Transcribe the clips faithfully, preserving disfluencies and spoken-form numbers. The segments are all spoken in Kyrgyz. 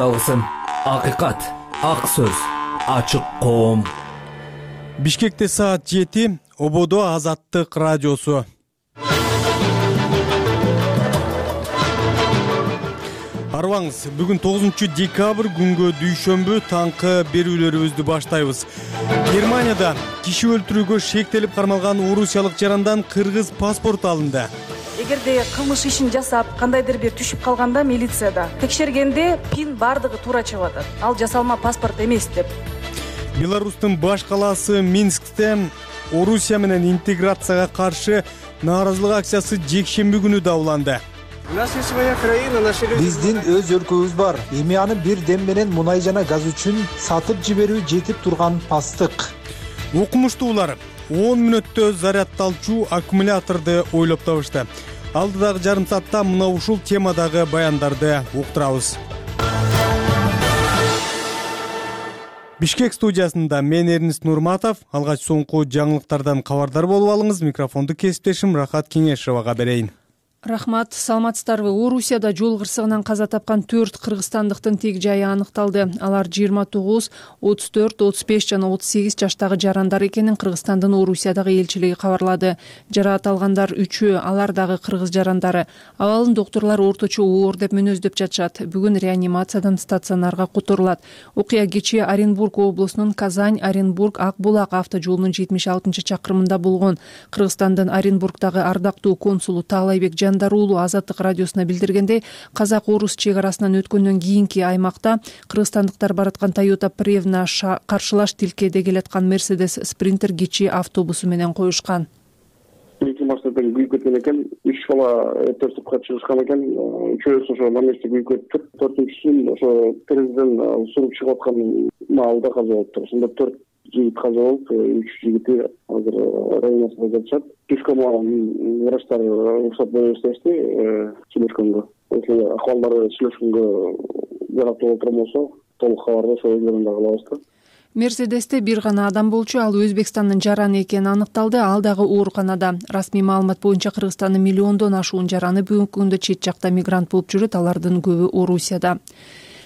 Алгысым акыйкат, ак сөз, ачык коом. Бишкекте саат жети, Ободо Азаттык радиосу. Арбаңыз, бүгүн тогузунчу декабрь күнгө дүйшөмбү таңкы берүүлөрүбүздү баштайбыз. Германияда киши өлтүрүүгө шектелип кармалган орусиялык жарандан кыргыз паспорт алынды. Эгерде кылмыш ишин жасап, кандайдыр бир түшүп калганда милицияда текшергенде пин бардыгы туура чыгып атат. Ал жасалма паспорт эмес деп. Беларустун баш калаасы Минскте Орусия менен интеграцияга каршы нааразылык акциясы жекшемби күнү да уланды. Биздин өз өлкөбүз бар. Эми аны бир дем менен мунай жана газ үчүн сатып жиберүү жетип турган пастык. Окумуштуулар он мүнөттө зарядталчу аккумуляторду ойлоп табышты. Алдыдагы жарым саатта мына ушул темадагы баяндарды уктурабыз. Бишкек студиясында мен Эрнис Нурматов. Алгач соңку жаңылыктардан кабардар болуп алыңыз. Микрофонду кесиптешим Рахат Кеңешевага берейин. Рахмат, саламатсыздарбы? Орусияда жол кырсыгынан каза тапкан төрт кыргызстандыктын тег жайы аныкталды. Алар жыйырма тогуз, отуз төрт, отуз беш жана отуз сегиз жаштагы жарандар экенин Кыргызстандын Орусиядагы элчилиги кабарлады. Жараат алгандар үчөө, алар дагы кыргыз жарандары. Абалын доктурлар орточо оор деп мүнөздөп жатышат. Бүгүн реанимациядан стационарга которулат. Окуя кечээ Оренбург облусунун Казань-Оренбург Ак-Булак автожолунун жетимиш алтынчы чакырымында болгон. Кыргызстандын Оренбургдагы ардактуу консулу Таалайбек Жандарулу Азаттык радиосуна билдиргендей, казак-орус чек арасынан өткөндөн кийинки аймакта кыргызстандыктар бараткан Toyota Prevna каршылаш тилкеде келаткан Mercedes Sprinter кичи автобусу менен коюшкан. Эки машинадан күйүп кеткен экен, үч бала төртүп чыгышкан экен, үчөөсү ошо наместе күйүп кетип, төртүнчүсүн ошо терезеден суруп чыгып аткан маалда каза болуптур. Ошондо төрт жигит каза болуп, үч жигити азыр реанимацияда жатышат. Түшкөн врачтар уруксат беришти сүйлөшкөнгө. Ошол акыбалдары сүйлөшкөнгө жараптуу отурган болсо, толук кабарды ошол өздөрүндө кылабыз да. Мерседесте бир гана адам болчу, ал Өзбекстандын жараны экени аныкталды, ал дагы ооруканада. Расмий маалымат боюнча Кыргызстандын миллиондон ашуун жараны бүгүнкү күндө чет жакта мигрант болуп жүрөт, алардын көбү Орусияда.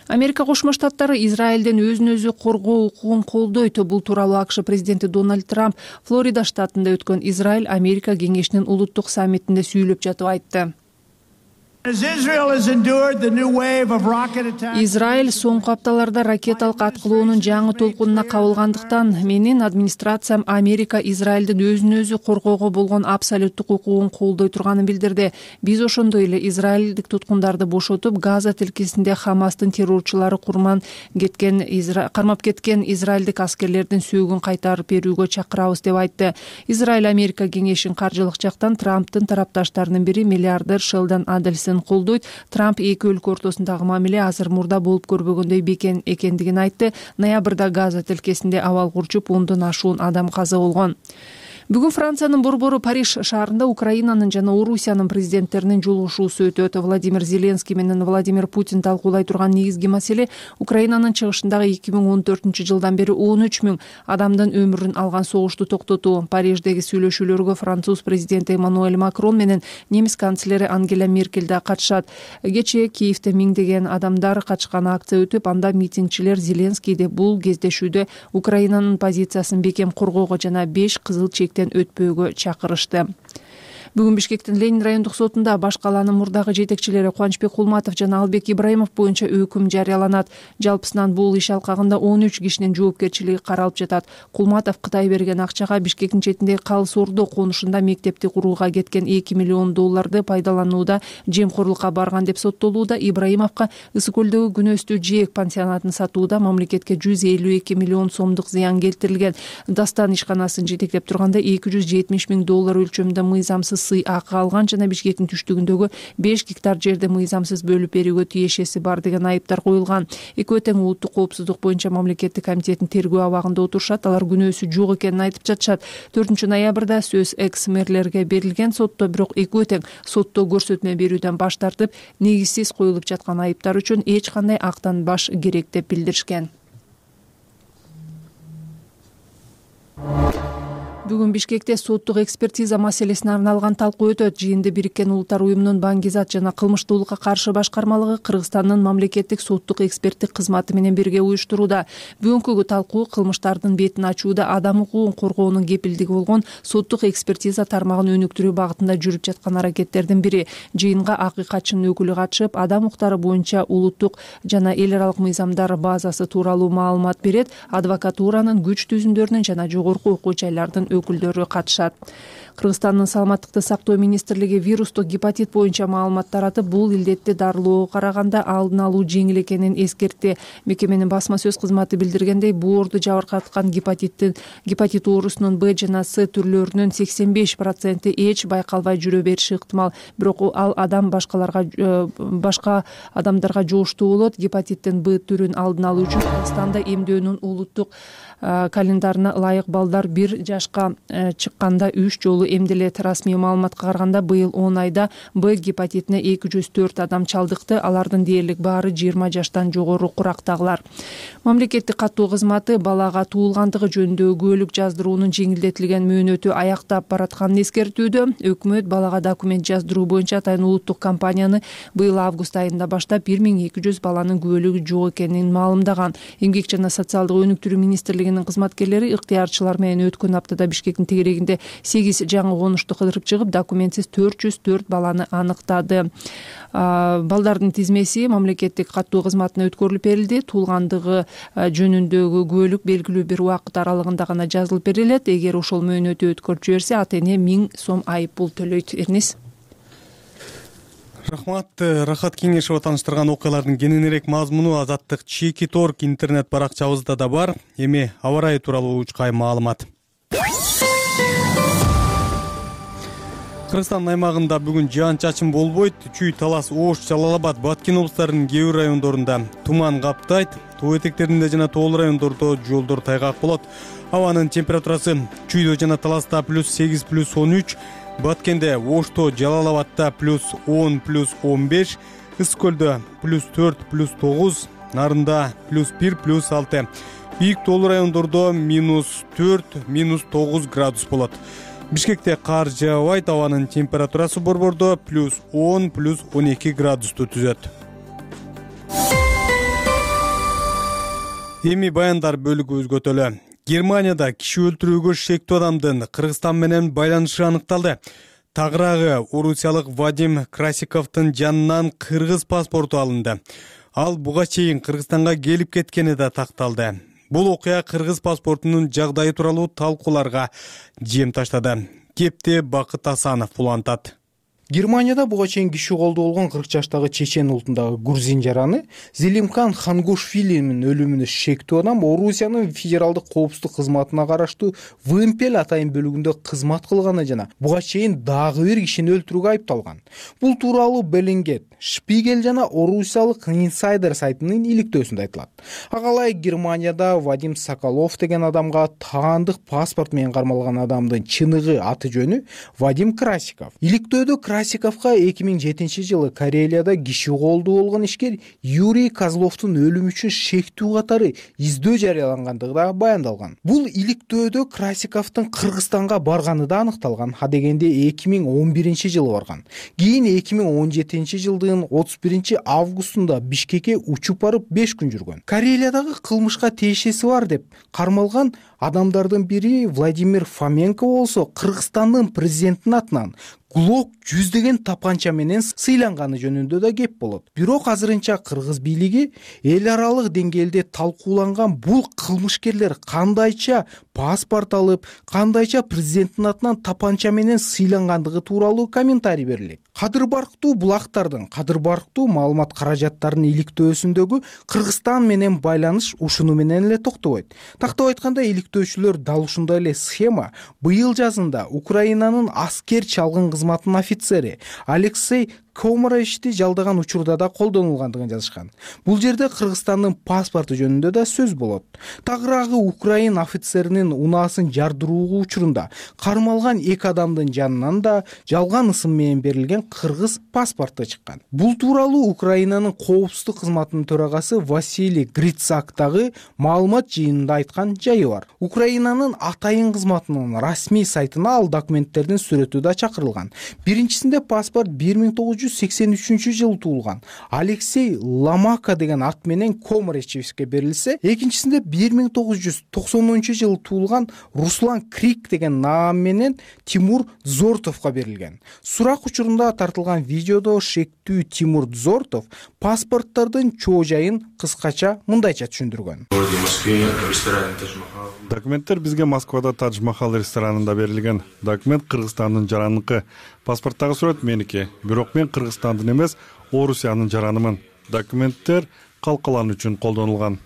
Америка Кошмо Штаттары Израилден өзүн өзү коргоо укугун колдойт. Бул тууралуу АКШ президенти Дональд Трамп Флорида штатында өткөн Израиль-Америка кеңешинин улуттук саммитинде сүйлөп жатып айтты. Израиль соңку апталарда ракеталык аткылоонун жаңы толкунуна кабылгандыктан менин администрациям Америка Израилдин өзүн өзү коргоого болгон абсолюттук укугун колдой турганын билдирди. Биз ошондой эле израилдик туткундарды бошотуп, Газа тилкесинде Хамастын террорчулары курман кеткен кармап кеткен израилдик аскерлердин сөөгүн кайтарып берүүгө чакырабыз деп айтты. Израиль Америка кеңешин каржылык жактан Трамптын тарапташтарынын бири миллиардер Шелдон Аделсон колдойт. Трамп эки өлкө ортосундагы мамиле азыр мурда болуп көрбөгөндөй бекен экендигин айтты. Ноябрда Газа тилкесинде абал курчуп, ондон ашуун адам каза болгон. Бүгүн Франциянын борбору Париж шаарында Украинанын жана Орусиянын президенттеринин жолугушуусу өтөт. Владимир Зеленский менен Владимир Путин талкуулай турган негизги маселе Украинанын чыгышындагы эки миң он төртүнчү жылдан бери он үч миң адамдын өмүрүн алган согушту токтотуу. Париждеги сүйлөшүүлөргө француз президенти Эммануэль Макрон менен немис канцлери Ангела Меркель да катышат. Кечээ Киевде миңдеген адамдар катышкан акция өтүп, анда митингчилер Зеленскийди бул кездешүүдө Украинанын позициясын бекем коргоого жана беш кызыл чек өтпөөгө чакырышты. Бүгүн Бишкектин Ленин райондук сотунда баш калаанын мурдагы жетекчилери Кубанычбек Кулматов жана Албек Ибраимов боюнча өкүм жарыяланат. Жалпысынан бул иш алкагында он үч кишинин жоопкерчилиги каралып жатат. Кулматов Кытай берген акчага Бишкектин четиндеги Калыс Ордо конушунда мектепти курууга кеткен эки миллион долларды пайдаланууда жемкорлукка барган деп соттолууда. Ибраимовго Ысык көлдөгү Күнөстүү Жээк пансионатын сатууда мамлекетке жүз элүү эки миллион сомдук зыян келтирилген. Дастан ишканасын жетектеп турганда эки жүз жетимиш миң доллар өлчөмүндө мыйзамсыз сый акы алган жана Бишкектин түштүгүндөгү беш гектар жерди мыйзамсыз бөлүп берүүгө тиешеси бар деген айыптар коюлган. Экөө тең улуттук коопсуздук боюнча мамлекеттик комитеттин тергөө абагында отурушат. Алар күнөөсү жок экенин айтып жатышат. төртүнчү ноябрда сөз экс-мэрлерге берилген сотто, бирок экөө тең сотто көрсөтмө берүүдөн баш тартып, негизсиз коюлуп жаткан айыптар үчүн эч кандай актанбаш керек деп билдиришкен. Бүгүн Бишкекте соттук экспертиза маселесине арналган талкуу өтөт. Жыйынды Бириккен Улуттар уюмунун Баңгизат жана кылмыштуулукка каршы башкармалыгы Кыргызстандын мамлекеттик соттук эксперттик кызматы менен бирге уюштурууда. Бүгүнкү талкуу кылмыштардын бетин ачууда адам укугун коргоонун кепилдиги болгон соттук экспертиза тармагын өнүктүрүү багытында жүрүп жаткан аракеттердин бири. Жыйынга акыйкатчынын өкүлү катышып, адам укуктары боюнча улуттук жана эл аралык мыйзамдар базасы тууралуу маалымат берет. Адвокатуранын, күч түзүмдөрүнүн жана жогорку окуу жайлардын өкүлдөрү катышат. Кыргызстандын саламаттыкты сактоо министрлиги вирустук гепатит боюнча маалымат таратып, бул илдетти дарылоого караганда алдын алуу жеңил экенин эскертти. Мекеменин басма сөз кызматы билдиргендей, боорду жабыркаткан гепатиттин гепатит оорусунун Б жана С түрлөрүнүн сексен беш проценти эч байкалбай жүрө бериши ыктымал. Бирок ал адам башкаларга башка адамдарга жугуштуу болот. Гепатиттин Б түрүн алдын алуу үчүн Кыргызстанда эмдөөнүн улуттук календарына ылайык балдар бир жашка чыкканда үч жолу эмделет. Расмий маалыматка караганда быйыл он айда Б гепатитине эки жүз төрт адам чалдыкты. Алардын дээрлик баары жыйырма жаштан жогору курактагылар. Мамлекеттик каттоо кызматы балага туулгандыгы жөнүндөгү күбөлүк жаздыруунун жеңилдетилген мөөнөтү аяктап баратканын эскертүүдө. Өкмөт балага документ жаздыруу боюнча атайын улуттук кампанияны быйыл август айында баштап бир миң эки жүз баланын күбөлүгү жок экенин маалымдаган. Эмгек жана социалдык өнүктүрүү министрлигинин кызматкерлери ыктыярчылар менен өткөн аптада Бишкектин тегерегинде сегиз жаңы конушту кыдырып чыгып, документсиз төрт жүз төрт баланы аныктады. Балдардын тизмеси мамлекеттик каттоо кызматына өткөрүлүп берилди. Туулгандыгы жөнүндөгү күбөлүк белгилүү бир убакыт аралыгында гана жазылып берилет. Эгер ошол мөөнөтү өткөрүп жиберсе, ата эне миң сом айып пул төлөйт. Эрнис. Рахмат. Рахат Кеңешова тааныштырган окуялардын кененирээк мазмуну Азаттык чеки торг интернет баракчабызда да бар. Эми аба ырайы тууралуу учкай маалымат. Кыргызстан аймагында бүгүн жаан-чачын болбойт. Чүй, Талас, Ош, Жалал Абад, Баткен облустарынын кээ бир райондорунда туман каптайт. Тоо этектеринде жана тоолуу райондордо жолдор тайгак болот. Абанын температурасы Чүйдө жана Таласта плюс сегиз, плюс он үч, Баткенде, Ошто, Жалал Абадта плюс он, плюс он беш, Ысык көлдө плюс төрт, плюс тогуз, Нарында плюс бир, плюс алты. Бийик тоолуу райондордо минус төрт, минус тогуз градус болот. Бишкекте кар жаабайт, абанын температурасы борбордо плюс он, плюс он эки градусту түзөт. Эми баяндар бөлүгү өзгөтөлө. Германияда киши өлтүрүүгө шектүү адамдын Кыргызстан менен байланышы аныкталды. Тагыраагы орусиялык Вадим Красиковдун жанынан кыргыз паспорту алынды. Ал буга чейин Кыргызстанга келип кеткени да такталды. Бул окуя кыргыз паспортунун жагдайы тууралуу талкууларга жем таштады. Кепти Бакыт Асанов улантат. Германияда буга чейин киши колдоо болгон кырк жаштагы чечен улутундагы грузин жараны Зелимхан Хангушвилинин өлүмүнө шектүү адам Орусиянын федералдык коопсуздук кызматына караштуу Вымпел атайын бөлүгүндө кызмат кылганы жана буга чейин дагы бир кишини өлтүрүүгө айыпталган. Бул тууралуу Беллингет, Шпигель жана Орусиялык Инсайдер сайтынын иликтөөсүндө айтылат. Ага ылайык Германияда Вадим Соколов деген адамга таандык паспорт менен кармалган адамдын чыныгы аты жөнү Вадим Красиков. Иликтөөдө Красиковго эки миң жетинчи жылы Карелияда киши колдоо болгон ишкер Юрий Козловдун өлүмү үчүн шектүү катары издөө жарыялангандыгы да баяндалган. Бул иликтөөдө Красиковдун Кыргызстанга барганы да аныкталган. А дегенде эки миң он биринчи жылы барган. Кийин эки миң он жетинчи жылдын отуз биринчи августунда Бишкекке учуп барып беш күн жүргөн. Карелиядагы кылмышка тиешеси бар деп кармалган адамдардын бири Владимир Фоменко болсо Кыргызстандын президентинин атынан Глок жүздөгөн тапанча менен сыйланганы жөнүндө да кеп болот. Бирок азырынча кыргыз бийлиги эл аралык деңгээлде талкууланган бул кылмышкерлер кандайча паспорт алып, кандайча президенттин атынан тапанча менен сыйлангандыгы тууралуу комментарий берилет. Кадыр барктуу булактардын, кадыр барктуу маалымат каражаттарынын иликтөөсүндөгү Кыргызстан менен байланыш ушуну менен эле токтобойт. Тактап айтканда, иликтөөчүлөр дал ушундай эле схема быйыл жазында Украинанын аскер чалгын кызматынын офицери Алексей Комарешти жалдаган учурда да колдонулгандыгын жазышкан. Бул жерде Кыргызстандын паспорту жөнүндө да сөз болот. Тагыраагы Украин офицеринин унаасын жардыруу учурунда кармалган эки адамдын жанынан да жалган ысым менен берилген кыргыз паспорту чыккан. Бул тууралуу Украинанын коопсуздук кызматынын төрагасы Василий Грицак дагы маалымат жыйынында айткан жайы бар. Украинанын атайын кызматынын расмий сайтына ал документтердин сүрөтү да чакырылган. Биринчисинде паспорт бир миң тогуз жүз сексен үчүнчү жылы туулган Алексей Ломака деген ат менен Комарешевичке берилсе, экинчисинде бир миң тогуз жүз токсонунчу жылы туулган Руслан Крик деген наам менен Тимур Зортовго берилген. Сурак учурунда тартылган видеодо шектүү Тимур Зортов паспорттардын чоо жайын кыскача мындайча түшүндүргөн. Документтер бизге Москвада Тадж Махал ресторанында берилген. Документ Кыргызстандын жараныкы. Паспорттагы сүрөт меники. Бирок мен Кыргызстандын эмес, Орусиянын жаранымын. Документтер калкалан үчүн колдонулган.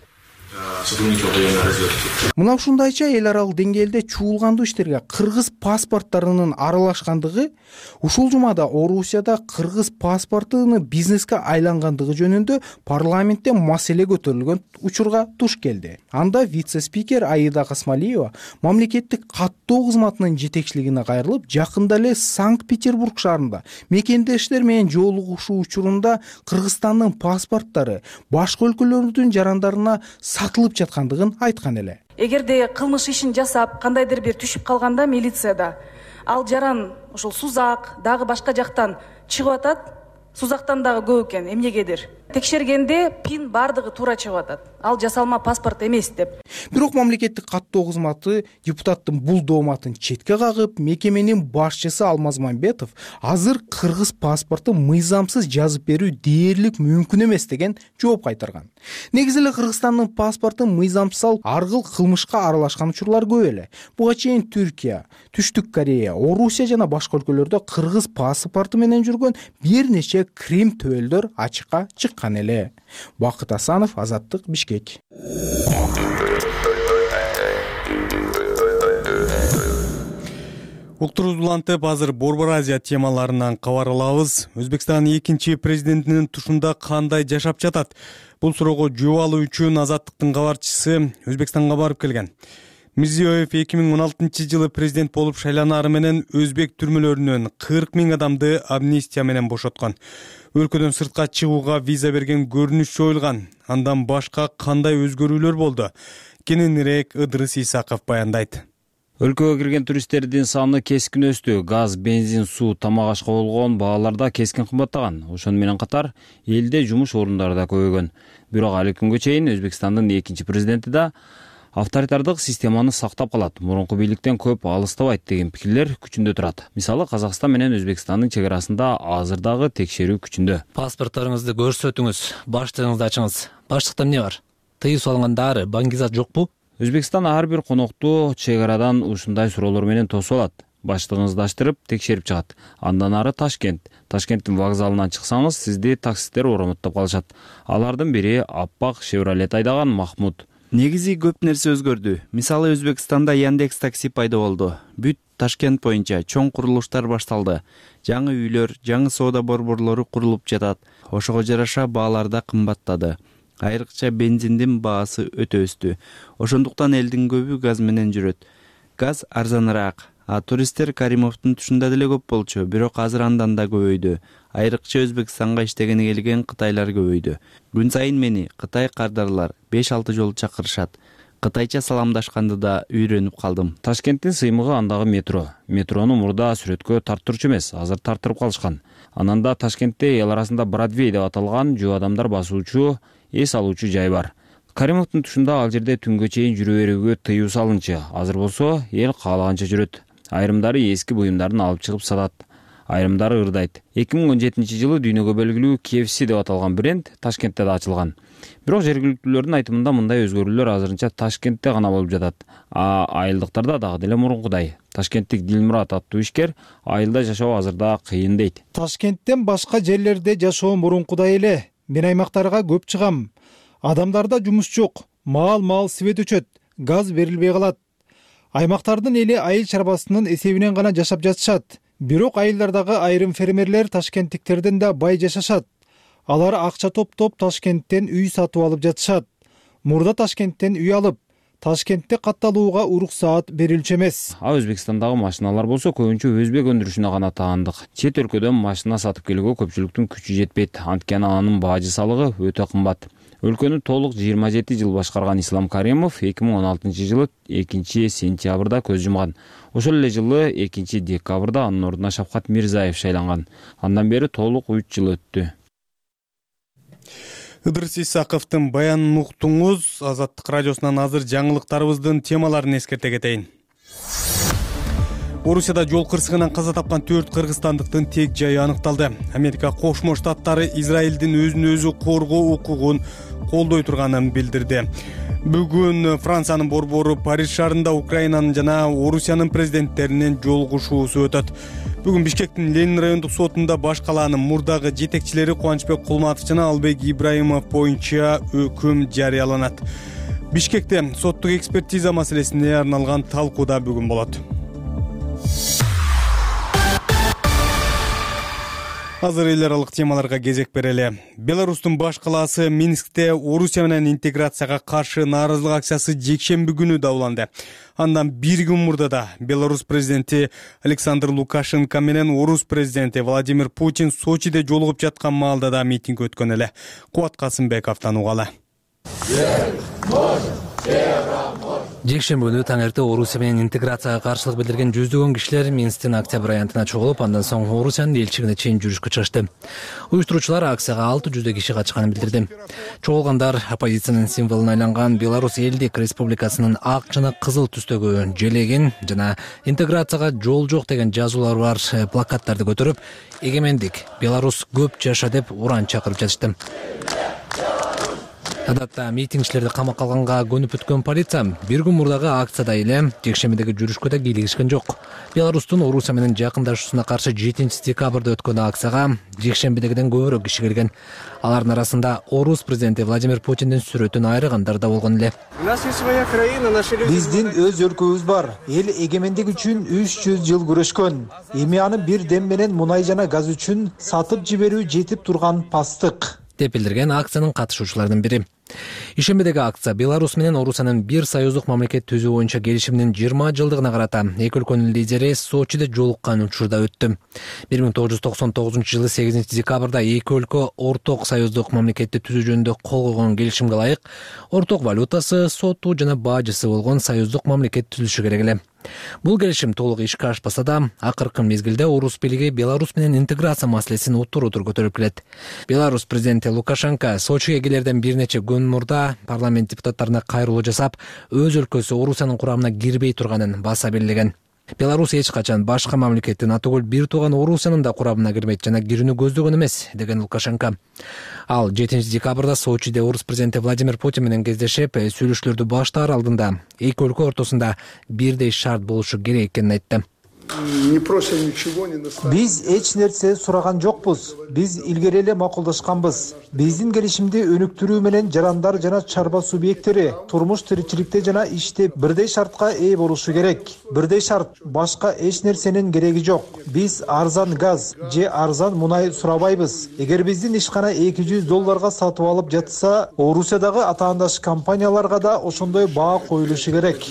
Мына ушундайча эл аралык деңгээлде чуулгандуу иштерге кыргыз паспорттарынын аралашкандыгы ушул жумада Орусияда кыргыз паспортуну бизнеске айлангандыгы жөнүндө парламентте маселе көтөрүлгөн учурга туш келди. Анда вице-спикер Аида Касмалиева мамлекеттик каттоо кызматынын жетекчилигине кайрылып, жакында эле Санкт-Петербург шаарында мекендештер менен жолугушуу учурунда Кыргызстандын паспорттары башка өлкөлөрдүн жарандарына сатылып жаткандыгын айткан эле. Эгерде кылмыш ишин жасап, кандайдыр бир түшүп калганда милицияда ал жаран ошол Сузак дагы башка жактан чыгып атат, Сузактан дагы көп экен, эмнегедир. Текшергенде пин бардыгы туура чыгып атат. Ал жасалма паспорт эмес деп. Бирок мамлекеттик каттоо кызматы депутаттын бул дооматын четке кагып, мекеменин башчысы Алмаз Мамбетов азыр кыргыз паспорту мыйзамсыз жазып берүү дээрлик мүмкүн эмес деген жооп кайтарган. Негизи эле Кыргызстандын паспорту мыйзамсыз аргыл кылмышка аралашкан учурлар көп эле. Буга чейин Түркия, Түштүк Корея, Орусия жана башка өлкөлөрдө кыргыз паспорту менен жүргөн бир нече крим төөлдөр ачыкка чыккан эле. Бакыт Асанов, Азаттык, Бишкек. Уктурубузду улантып, азыр Борбор Азия темаларынан кабар алабыз. Өзбекстандын экинчи президентинин тушунда кандай жашап жатат? Бул суроого жооп алуу үчүн Азаттыктын кабарчысы Өзбекстанга барып келген. Мирзиёев эки миң он алтынчы жылы президент болуп шайланары менен өзбек түрмөлөрүнөн кырк миң адамды амнистия менен бошоткон. Өлкөдөн сыртка чыгууга виза берген көрүнүш жоюлган. Андан башка кандай өзгөрүүлөр болду? Кененирээк Ыдырыс Исаков баяндайт. Өлкөгө кирген туристтердин саны кескин өстү. Газ, бензин, суу, тамак ашка болгон бааларда кескин кымбаттаган. Ошону менен катар элде жумуш орундары да көбөйгөн. Бирок али күнгө чейин Өзбекстандын экинчи президенти да авторитардык системаны сактап калат, мурунку бийликтен көп алыстабайт деген пикирлер күчүндө турат. Мисалы, Казакстан менен Өзбекстандын чек арасында азыр дагы текшерүү күчүндө. Паспортторуңузду көрсөтүңүз, баштыгыңызды ачыңыз. Баштыкта эмне бар? Тыюу салынган дары, баңгизат жокпу? Өзбекстан ар бир конокту чек арадан ушундай суроолор менен тосуп алат. Баштыгыңызды аштырып, текшерип чыгат. Андан ары Ташкент. Ташкенттин вокзалынан чыксаңыз, сизди таксисттер оромоттоп калышат. Алардын бири аппак Chevrolet айдаган Махмуд. Негизи көп нерсе өзгөрдү. Мисалы, Өзбекстанда Яндекс такси пайда болду. Бүт Ташкент боюнча чоң курулуштар башталды. Жаңы үйлөр, жаңы соода борборлору курулуп жатат. Ошого жараша баалар да кымбаттады. Айрыкча бензиндин баасы өтө өстү. Ошондуктан элдин көбү газ менен жүрөт. Газ арзаныраак. А туристтер Каримовдун тушунда деле көп болчу, бирок азыр андан да көбөйдү. Айрыкча Өзбекстанга иштегени келген кытайлар көбөйдү. Күн сайын мени кытай кардарлар беш алты жолу чакырышат. Кытайча саламдашканды да үйрөнүп калдым. Ташкенттин сыймыгы андагы метро. Метрону мурда сүрөткө тарттырчу эмес, азыр тартырып калышкан. Анан да Ташкентте эл арасында Бродвей деп аталган жөө адамдар басуучу, эс алуучу жай бар. Каримовдун тушунда ал жерде түнгө чейин жүрө берүүгө тыюу салынчы. Азыр болсо эл каалаганча жүрөт. Айрымдары эски буюмдарын алып чыгып сатат. Айрымдары ырдайт. эки миң он жетинчи жылы дүйнөгө белгилүү K F C деп аталган бренд Ташкентте да ачылган. Бирок жергиликтүүлөрдүн айтымында мындай өзгөрүүлөр азырынча Ташкентте гана болуп жатат. А айылдыктарда дагы деле мурункудай. Ташкенттик Дилмурат аттуу ишкер айылда жашоо азырда кыйын дейт. Ташкенттен башка жерлерде жашоо мурункудай эле. Мен аймактарга көп чыгам. Адамдарда жумуш жок. Маал-маал свет өчөт. Газ берилбей калат. Аймактардын эли айыл чарбасынын эсебинен гана жашап жатышат. Бирок айылдардагы айрым фермерлер ташкенттиктерден да бай жашашат. Алар акча топтоп Ташкенттен үй сатып алып жатышат. Мурда Ташкенттен үй алып, Ташкентте катталууга уруксаат берилчү эмес. А Өзбекстандагы машиналар болсо көбүнчө өзбек өндүрүшүнө гана таандык. Чет өлкөдөн машина сатып келүүгө көпчүлүктүн күчү жетпейт. Анткени анын бажы салыгы өтө кымбат. Өлкөнү толук жыйырма жети жыл башкарган Ислам Каримов эки миң он алтынчы жылы экинчи сентябрда көз жумган. Ошол эле жылы экинчи декабрда анын ордуна Шавкат Мирзаев шайланган. Андан бери толук үч жыл өттү. Ыдырыс Исаковдун баянын уктуңуз. Азаттык радиосунан азыр жаңылыктарыбыздын темаларын эскерте кетейин. Орусияда жол кырсыгынан каза тапкан төрт кыргызстандыктын тек жайы аныкталды. Америка Кошмо Штаттары Израилдин өзүн өзү коргоо укугун колдой турганын билдирди. Бүгүн Франциянын борбору Париж шаарында Украинанын жана Орусиянын президенттеринин жолугушуусу өтөт. Бүгүн Бишкектин Ленин райондук сотунда баш калаанын мурдагы жетекчилери Кубанычбек Кулматов жана Албек Ибраимов боюнча өкүм жарыяланат. Бишкекте соттук экспертиза маселесине арналган талкуу да бүгүн болот. Азыр эл аралык темаларга кезек берели. Беларустун баш калаасы Минскте Орусия менен интеграцияга каршы нааразылык акциясы жекшемби күнү дауланды. Андан бир күн мурда да Беларусь президенти Александр Лукашенко менен Орус президенти Владимир Путин Сочиде жолугуп жаткан маалда да митинг өткөн эле. Кубат Касымбековдон угалы. Жекшемби күнү таң эрте Орусия менен интеграцияга каршылык билдирген жүздөгөн кишилер Минсктин Октябрь аянтына чогулуп, андан соң Орусиянын элчилигине чейин жүрүшкө чыгышты. Уюштуруучулар акцияга алты жүздөй киши катышканын билдирди. Чогулгандар оппозициянын символуна айланган Беларусь Элдик Республикасынын ак жана кызыл түстөгү желегин жана интеграцияга жол жок деген жазуулары бар плакаттарды көтөрүп, эгемендик Беларусь көп жаша деп уран чакырып жатышты. Адатта митингчилерди камакка алганга көнүп өткөн полиция бир күн мурдагы акцияда эле жекшембидеги жүрүшкө да кийлигишкен жок. Беларустун Орусия менен жакындашуусуна каршы жетинчи декабрда өткөн акцияга жекшембидегиден көбүрөөк киши келген. Алардын арасында Орус президенти Владимир Путиндин сүрөтүн айрыгандар да болгон эле. Биздин өз өлкөбүз бар. Эл эгемендик үчүн үч жүз жыл күрөшкөн. Эми аны бир дем менен мунай жана газ үчүн сатып жиберүү жетип турган пастык деп билдирген акциянын катышуучуларынын бири. Ишембидеги акция Беларусь менен Орусиянын бир союздук мамлекет түзүү боюнча келишиминин жыйырма жылдыгына карата эки өлкөнүн лидери Сочиде жолуккан учурда өттү. бир миң тогуз жүз токсон тогузунчу жылы сегизинчи декабрда эки өлкө орток союздук мамлекетти түзүү жөнүндө кол койгон келишимге ылайык орток валютасы, соту жана бажысы болгон союздук мамлекет түзүлүшү керек эле. Бул келишим толук ишке ашпаса да, акыркы мезгилде Орус бийлиги Беларусь менен интеграция маселесин утур-утур көтөрүп келет. Беларусь президенти Лукашенко Сочиге келерден бир нече күн мурда парламент депутаттарына кайрылуу жасап, өз өлкөсү Орусиянын курамына кирбей турганын баса белгилеген. Беларусь эч качан башка мамлекеттин атөгүл бир тууган Орусиянын да курамына кирмейт жана кирүүнү көздөгөн эмес, деген Лукашенко. Ал жетинчи декабрда Сочиде Орус президенти Владимир Путин менен кездешип, сүйлөшүүлөрдү баштаар алдында эки өлкө ортосунда бирдей шарт болушу керек экенин айтты. Биз эч нерсе сураган жокпуз. Биз илгери эле макулдашканбыз. Биздин келишимди өнүктүрүү менен жарандар жана чарба субъекттери турмуш тиричиликте жана иште бирдей шартка ээ болушу керек. Бирдей шарт, башка эч нерсенин кереги жок. Биз арзан газ же арзан мунай сурабайбыз. Эгер биздин ишкана эки жүз долларга сатып алып жатса, Орусиядагы атаандаш компанияларга да ошондой баа коюлушу керек,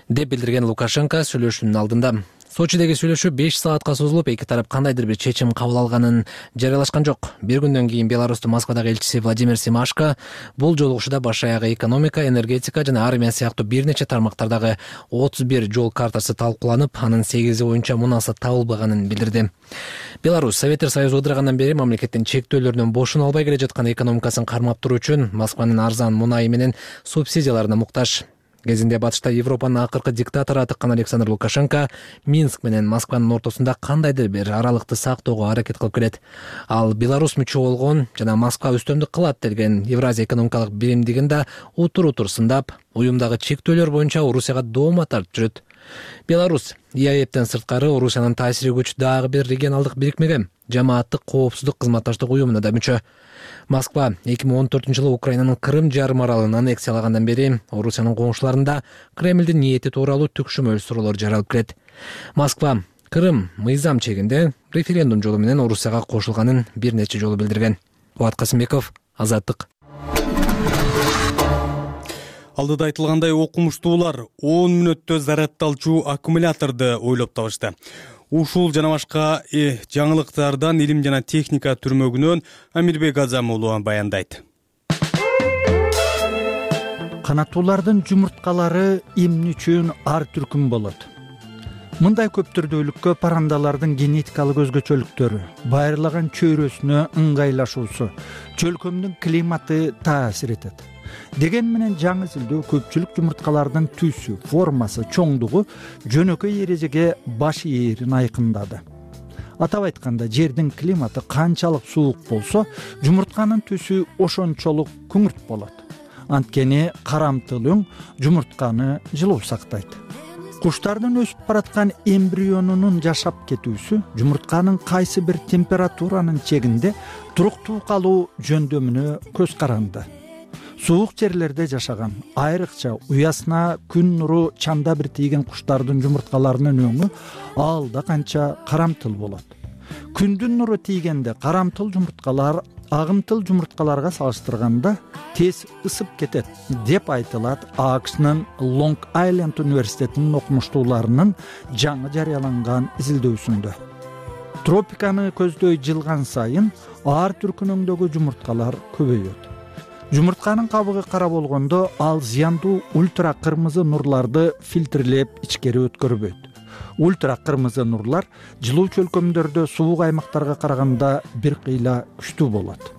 деп билдирген Лукашенко сүйлөшүүнүн алдында. Сочидеги сүйлөшүү беш саатка созулуп, эки тарап кандайдыр бир чечим кабыл алганын жарыялашкан жок. Бир күндөн кийин Беларустун Москвадагы элчиси Владимир Семашко бул жолугушууда баш аягы экономика, энергетика жана армия сыяктуу бир нече тармактардагы отуз бир жол картасы талкууланып, анын сегизи боюнча мунаса табылбаганын билдирди. Беларусь Советтер Союзу ыдырагандан бери мамлекеттин чектөөлөрүнөн бошоно албай келе жаткан экономикасын кармап туруу үчүн Москванын арзан мунайы менен субсидияларына муктаж. Кезинде батышта Европанын акыркы диктатору атыккан Александр Лукашенко Минск менен Москванын ортосунда кандайдыр бир аралыкты сактоого аракет кылып келет. Ал Беларусь мүчө болгон жана Москва үстөмдүк кылат деген Евразия экономикалык биримдигин да утур-утур сындап, уюмдагы чектөөлөр боюнча Орусияга доoma тартып жүрөт. Беларусь И А Эптен сырткары Орусиянын таасири күч дагы бир регионалдык бирикмеге, жамааттык коопсуздук кызматташтык уюмуна да мүчө. Москва эки миң он төртүнчү жылы Украинанын Крым жарым аралын аннексиялагандан бери Орусиянын коңшуларында Кремлдин ниети тууралуу түкшүмөл суроолор жаралып келет. Москва Крым мыйзам чегинде референдум жолу менен Орусияга кошулганын бир нече жолу билдирген. Болот Касымбеков, Азаттык. Алдыда айтылгандай окумуштуулар он мүнөттө заряддалчу аккумуляторду ойлоп табышты. Ушул жана башка э, жаңылыктардан илим жана техника түрмөгүнөн Амирбек Азам уулу баяндайт. Канаттуулардын жумурткалары эмне үчүн ар түркүм болот? Мындай көп түрдүүлүккө парандалардын генетикалык өзгөчөлүктөрү, байырлаган чөйрөсүнө ыңгайлашуусу, чөлкөмдүн климаты таасир этет. Деген менен жаңы изилдөө көпчүлүк жумурткалардын түсү, формасы, чоңдугу жөнөкөй эрежеге баш ээрин айкындады. Атап айтканда, жердин климаты канчалык суук болсо, жумуртканын түсү ошончолук күңүрт болот. Анткени карамтыл өң жумуртканы жылуу сактайт. Куштардын өсүп бараткан эмбрионунун жашап кетүүсү жумуртканын кайсы бир температуранын чегинде туруктуу калуу жөндөмүнө көз каранды. Суук жерлерде жашаган, айрыкча уясына күн нуру чанда бир тийген куштардын жумурткаларынын өңү алда канча карамтыл болот. Күндүн нуру тийгенде карамтыл жумурткалар агымтыл жумурткаларга салыштырганда тез ысып кетет деп айтылат АКШнын Лонг Айленд университетинин окумуштууларынын жаңы жарыяланган изилдөөсүндө. Тропиканы көздөй жылган сайын ар түркүнөңдөгү жумурткалар көбөйөт. Жумуртканын кабыгы кара болгондо ал зыяндуу ультра кырмызы нурларды фильтрлеп ичкери өткөрбөйт. Ультра кырмызы нурлар жылуу чөлкөмдөрдө суук аймактарга караганда бир кыйла күчтүү болот.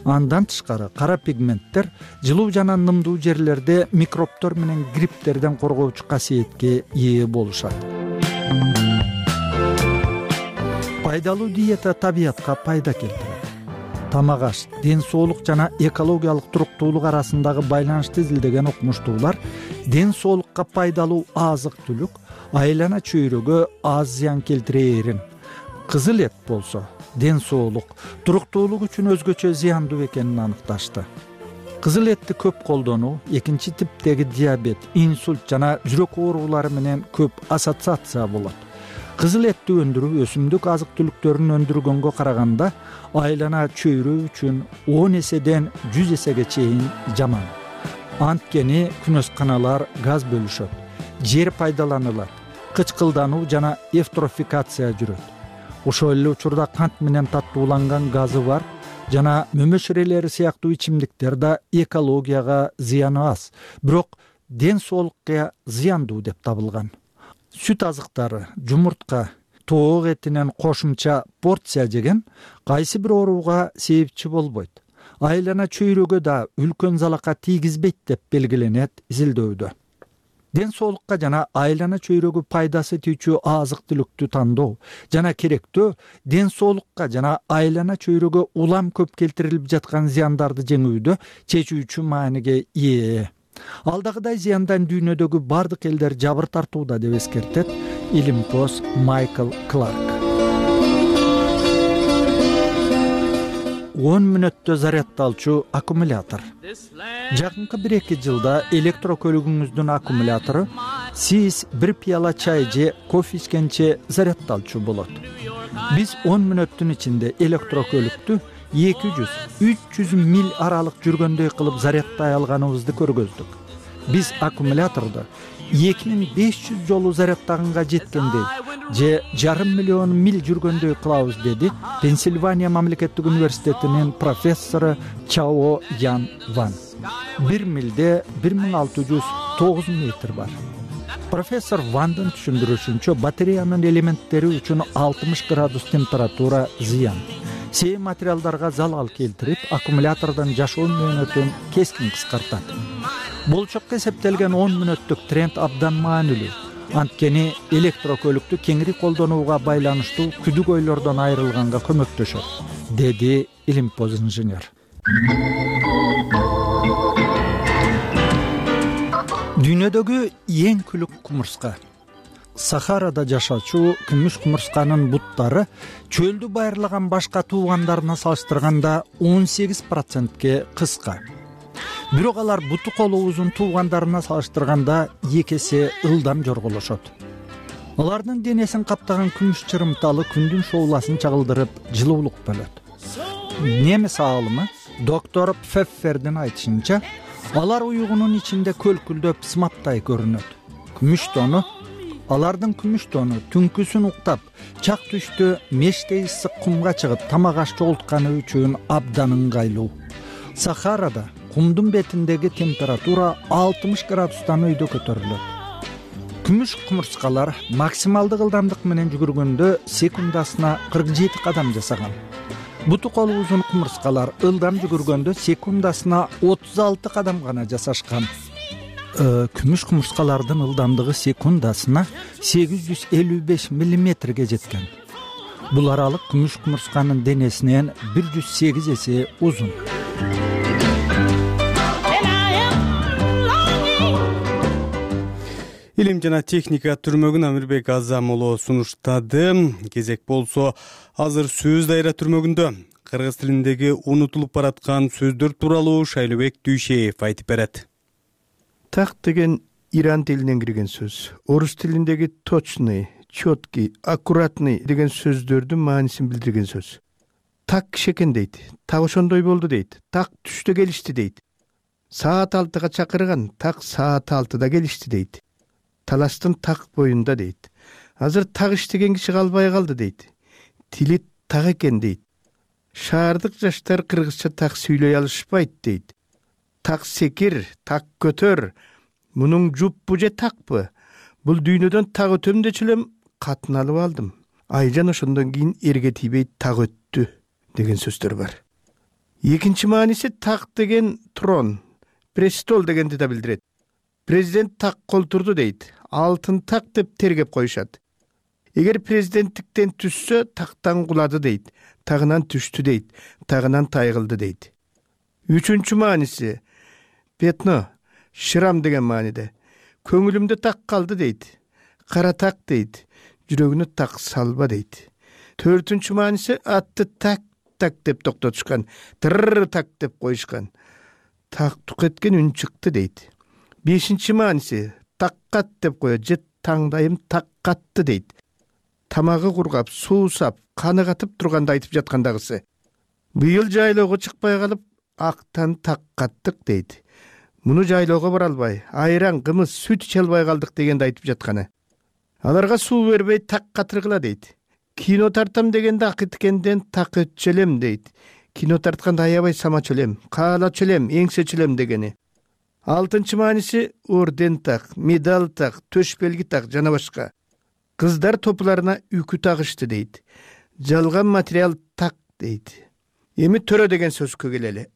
Андан тышкары кара пигменттер жылуу жана нымдуу жерлерде микробтор менен грипптерден коргоочу касиетке ээ болушат. Пайдалуу диета табиятка пайда келтирет. Тамак аш, ден соолук жана экологиялык туруктуулук арасындагы байланышты изилдеген окумуштуулар ден соолукка пайдалуу азык-түлүк айлана чөйрөгө аз зыян келтирээрин, кызыл эт болсо ден соолук, туруктуулук үчүн өзгөчө зыяндуу экенин аныкташты. Кызыл этти көп колдонуу экинчи типтеги диабет, инсульт жана жүрөк оорулары менен көп ассоциация болот. Кызыл этти өндүрүү өсүмдүк азык-түлүктөрүн өндүргөнгө караганда айлана чөйрө үчүн он эседен жүз эсеге чейин жаман. Анткени күнөсканалар газ бөлүшөт, жер пайдаланылат, кычкылдануу жана эвтрофикация жүрөт. Ошол эле учурда кант менен таттууланган газы бар жана мөмөшүрелери сыяктуу ичимдиктер да экологияга зыяны аз, бирок ден соолукка зыяндуу деп табылган. Сүт азыктары, жумуртка, тоок этинен кошумча порция жеген кайсы бир ооруга себепчи болбойт. Айлана чөйрөгө да үлкөн залака тийгизбейт деп белгиленет изилдөөдө. Ден соолукка жана айлана чөйрөгү пайдасы тийчү азык-түлүктү тандоо жана керектөө ден соолукка жана айлана чөйрөгө улам көп келтирилип жаткан зыяндарды жеңүүдө чечүүчү мааниге ээ. Алдагыдай зыяндан дүйнөдөгү бардык элдер жабыр тартууда деп эскертет илимпоз Майкл Кларк. он мүнөттө заряддалчу аккумулятор. Жакынкы бир эки жылда электрокөлүгүңүздүн аккумулятору сиз бир пияла чай же кофе ичкенче заряддалчу болот. Биз он мүнөттүн ичинде электрокөлүктү эки жүз үч жүз миль аралык жүргөндөй кылып заряддай алганыбызды көргөздүк. Биз аккумуляторду эки миң беш жүз жолу заряддаганга жеткендей же жарым миллион миль жүргөндөй кылабыз, деди Пенсильвания мамлекеттик университетинин профессору Чао Ян Ван. Бир милде бир миң алты жүз тогуз метр бар. Профессор Вандын түшүндүрүшүнчө, батареянын элементтери үчүн алтымыш градус температура зыян. Сей материалдарга залал келтирип, аккумулятордун жашоо мөөнөтүн кескин кыскартат. Болчокко эсептелген он мүнөттүк тренд абдан маанилүү. Анткени электрокөлүктү кеңири колдонууга байланыштуу күдүк ойлордон айрылганга көмөктөшөт, деди илимпоз инженер. Дүйнөдөгү эң күлүк кумурска. Сахарада жашачу күмүш кумурсканын буттары чөлдү байырлаган башка туугандарына салыштырганда он сегиз процентке кыска. Бирок алар буту колу узун туугандарына салыштырганда эки эсе ылдам жорголошот. алардын денесин каптаган күмүш чырымталы күндүн шоуласын чагылдырып жылуулук бөлөт. Немис аалымы доктор Пфеффердин айтышынча, алар уйгунун ичинде көлкүлдөп сымаптай көрүнөт. Күмүш тону алардын күмүш тону түнкүсүн уктап, чак түштө мештей ысык кумга чыгып тамак аш жогултканы үчүн абдан ыңгайлуу. Сахарада кумдун бетиндеги температура алтымыш градустан өйдө көтөрүлөт. Күмүш кумурскалар максималдык ылдамдык менен жүгүргөндө секундасына кырк жети кадам жасаган. Буту колу узун кумурскалар ылдам жүгүргөндө секундасына отуз алты кадам гана жасашкан. Күмүш кумурскалардын ылдамдыгы секундасына сегиз жүз элүү беш миллиметрге жеткен. Бул аралык күмүш кумурсканын денесинен бир жүз сегиз эсе узун. Илим жана техника түрмөгүн Амирбек Азам уулу сунуштады. Кезек болсо азыр сөз дайра түрмөгүндө кыргыз тилиндеги унутулуп бараткан сөздөр тууралуу Шайлыбек Дүйшеев айтып берет. Так деген иран тилинен кирген сөз. Орус тилиндеги точный, четкий, аккуратный деген сөздөрдүн маанисин билдирген сөз. Так кишекен дейт, так ошондой болду дейт, так түштө келишти дейт. Саат алтыга чакырган, так саат алтыда келишти дейт. Талаштын так боюнда дейт. Азыр так иштеген киши калбай калды дейт. Тили так экен дейт. Шаардык жаштар кыргызча так сүйлөй алышпайт дейт. Так секир, так көтөр. Мунун жуппу же такпы? Бул дүйнөдөн так өтөм дечү элем катын алып алдым. Айжан ошондон кийин эрге тийбей так өттү деген сөздөр бар. Экинчи мааниси так деген трон, престол дегенди да билдирет. Президент так колтурду дейт. Алтын так деп тергеп коюшат. Эгер президенттиктен түшсө, тактан кулады дейт. Тагынан түштү дейт. Тагынан тайгылды дейт. Үчүнчү мааниси петно, шрам деген мааниде. Көңүлүмдө так калды дейт. Кара так дейт. Жүрөгүнө так салба дейт. Төртүнчү мааниси атты так так деп токтотушкан. Тырр так деп коюшкан. Так тук эткен үн чыкты дейт. Бешинчи мааниси таккат деп коет же таңдайым так катты дейт. Тамагы кургап, суусап, каны катып турганда айтып жаткандагысы. Быйыл жайлоого чыкпай калып, актан так каттык дейт. Муну жайлоого бара албай, айран, кымыз, сүт иче албай калдык дегенди айтып жатканы. Аларга суу бербей так катыргыла дейт. Кино тартам дегенде акыткенден так өтчөлөм дейт. Кино тартканда аябай самачу элем, каалачу элем, эңсечү элем дегени. Алтынчы мааниси орден так, медаль так, төш белги так жана башка. Кыздар топуларына үкү тагышты дейт. Жалган материал так дейт. Эми төрө деген сөзгө келели.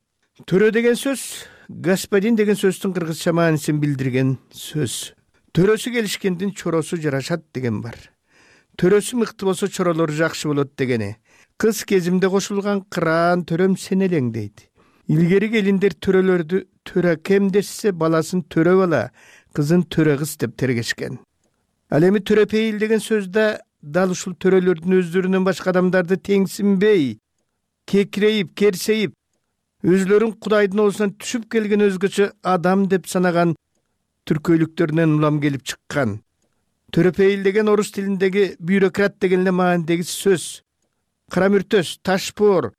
Төрө деген сөз господин деген сөздүн кыргызча маанисин билдирген сөз. Төрөсү келишкендин чоросу жарашат деген бар. Төрөсү мыкты болсо чоролору жакшы болот дегени. Кыз кезимде кошулган кыраан төрөм сен элең дейт. Илгери келиндер төрөлөрдү төрө кем дешсе баласын төрө бала, кызын төрө кыз деп тергешкен. Ал эми төрөпейил деген сөздө дал ушул төрөлөрдүн өздөрүнөн башка адамдарды теңсинбей, кекирейип, керсейип, өзлөрүн Кудайдын оозунан түшүп келген өзгөчө адам деп санаган түркөйлүктөрүнөн улам келип чыккан. Төрөпейил деген орус тилиндеги бюрократ деген эле маанидеги сөз. Кара мүртөс, ташбоор,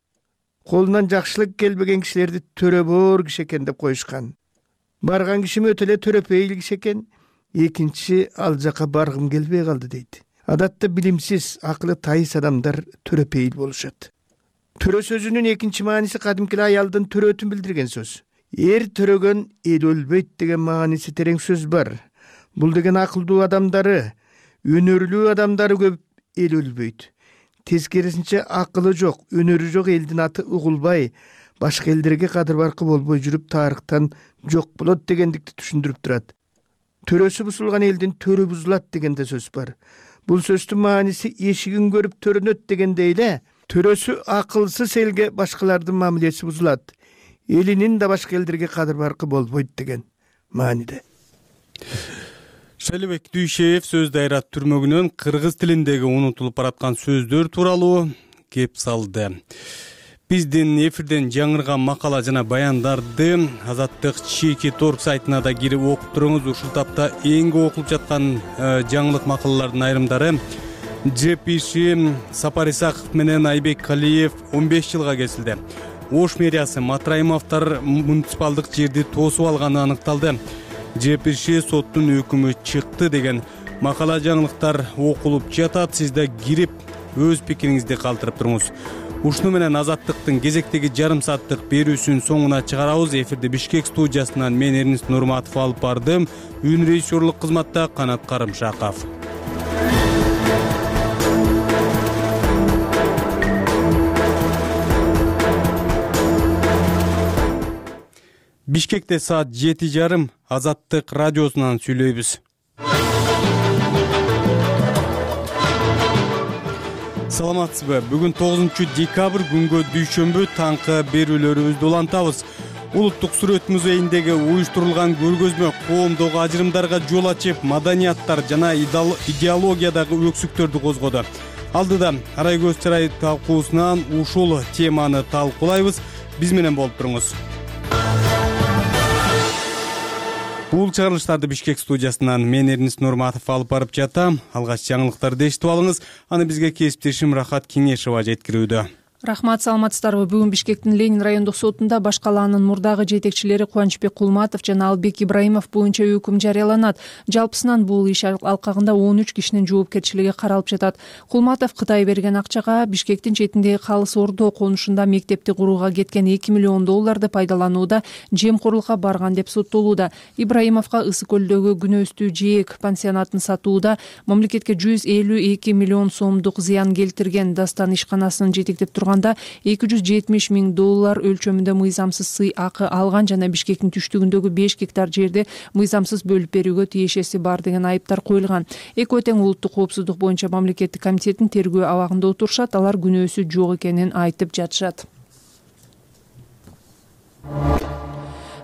колунан жакшылык келбеген кишилерди төрөбоор киши экен деп коюшкан. Барган кишим өтө эле төрөпейил киши экен, экинчи ал жака баргым келбей калды дейт. Адатта билимсиз, акылы тайыс адамдар төрөпейил болушат. Төрө сөзүнүн экинчи мааниси кадимки аялдын төрөтүн билдирген сөз. Эр төрөгөн эл өлбөйт деген мааниси терең сөз бар. Бул деген акылдуу адамдары, өнөрлүү адамдары көп эл өлбөйт. Тескерисинче акылы жок, өнөрү жок элдин аты угулбай, башка элдерге кадыр баркы болбой жүрүп тарыхтан жок болот дегендикти түшүндүрүп турат. Төрөсү бузулган элдин төрү бузулат деген да сөз бар. Бул сөздүн мааниси эшигин көрүп төрөнөт дегендей эле, төрөсү акылсыз элге башкалардын мамилеси бузулат. Элинин да башка элдерге кадыр баркы болбойт деген мааниде. Шайлыбек Дүйшеев сөз дайра түрмөгүнөн кыргыз тилиндеги унутулуп бараткан сөздөр тууралуу кеп салды. биздин эфирден жаңырган макала жана баяндарды Азаттык чеки точка орг сайтына да кирип окуп туруңуз. Ушул тапта эң көп окулуп жаткан жаңылык макалалардын айрымдары: Жепиши Сапар Исаков менен Айбек Калиев он беш жылга кесилди. Ош мэриясы Матраимовдор муниципалдык жерди тосуп алганы аныкталды. Жепиши соттун өкүмү чыкты деген макала жаңылыктар окулуп жатат. Сиз да кирип өз пикириңизди калтырып туруңуз. Ушуну менен Азаттыктын кезектеги жарым сааттык берүүсүн соңуна чыгарабыз. Эфирди Бишкек студиясынан мен Эрнис Нурматов алып бардым. Үн режиссерлук кызматта Канат Карымшаков. Бишкекте саат жети жарым. Азаттык радиосунан сүйлөйбүз. Саламатсызбы? Бүгүн тогузунчу декабрь күнгө дүйшөмбү таңкы берүүлөрүбүздү улантабыз. Улуттук сүрөт музейиндеги уюштурулган көргөзмө коомдогу ажырымдарга жол ачып, маданияттар жана идеологиядагы өксүктөрдү козгоду. Алдыда Арай көз чырай талкуусунан ушул теманы талкуулайбыз. Биз менен болуп туруңуз. Бул чыгарылыштарды Бишкек студиясынан мен Эрнис Нурматов алып барып жатам. Алгач жаңылыктарды эшитип алыңыз. Аны бизге кесиптешим Рахат Кеңешова жеткирүүдө. Рахмат, саламатсыздарбы? Бүгүн Бишкектин Ленин райондук сотунда баш калаанын мурдагы жетекчилери Кубанычбек Кулматов жана Албек Ибраимов боюнча өкүм жарыяланат. Жалпысынан бул иш алкагында он үч кишинин жоопкерчилиги каралып жатат. Кулматов Кытай берген акчага Бишкектин четиндеги Калыс Ордо конушунда мектепти курууга кеткен эки миллион долларды пайдаланууда жемкорлукка барган деп соттолууда. Ибраимовго Ысык көлдөгү Күнөстүү Жээк пансионатын сатууда мамлекетке жүз элүү эки миллион сомдук зыян келтирген. Дастан ишканасынын жетектеп турган эки жүз жетимиш миң доллар өлчөмүндө мыйзамсыз сый акы алган жана Бишкектин түштүгүндөгү беш гектар жерди мыйзамсыз бөлүп берүүгө тиешеси бар деген айыптар коюлган. Экөө тең улуттук коопсуздук боюнча мамлекеттик комитеттин тергөө абагында отурушат. Алар күнөөсү жок экенин айтып жатышат.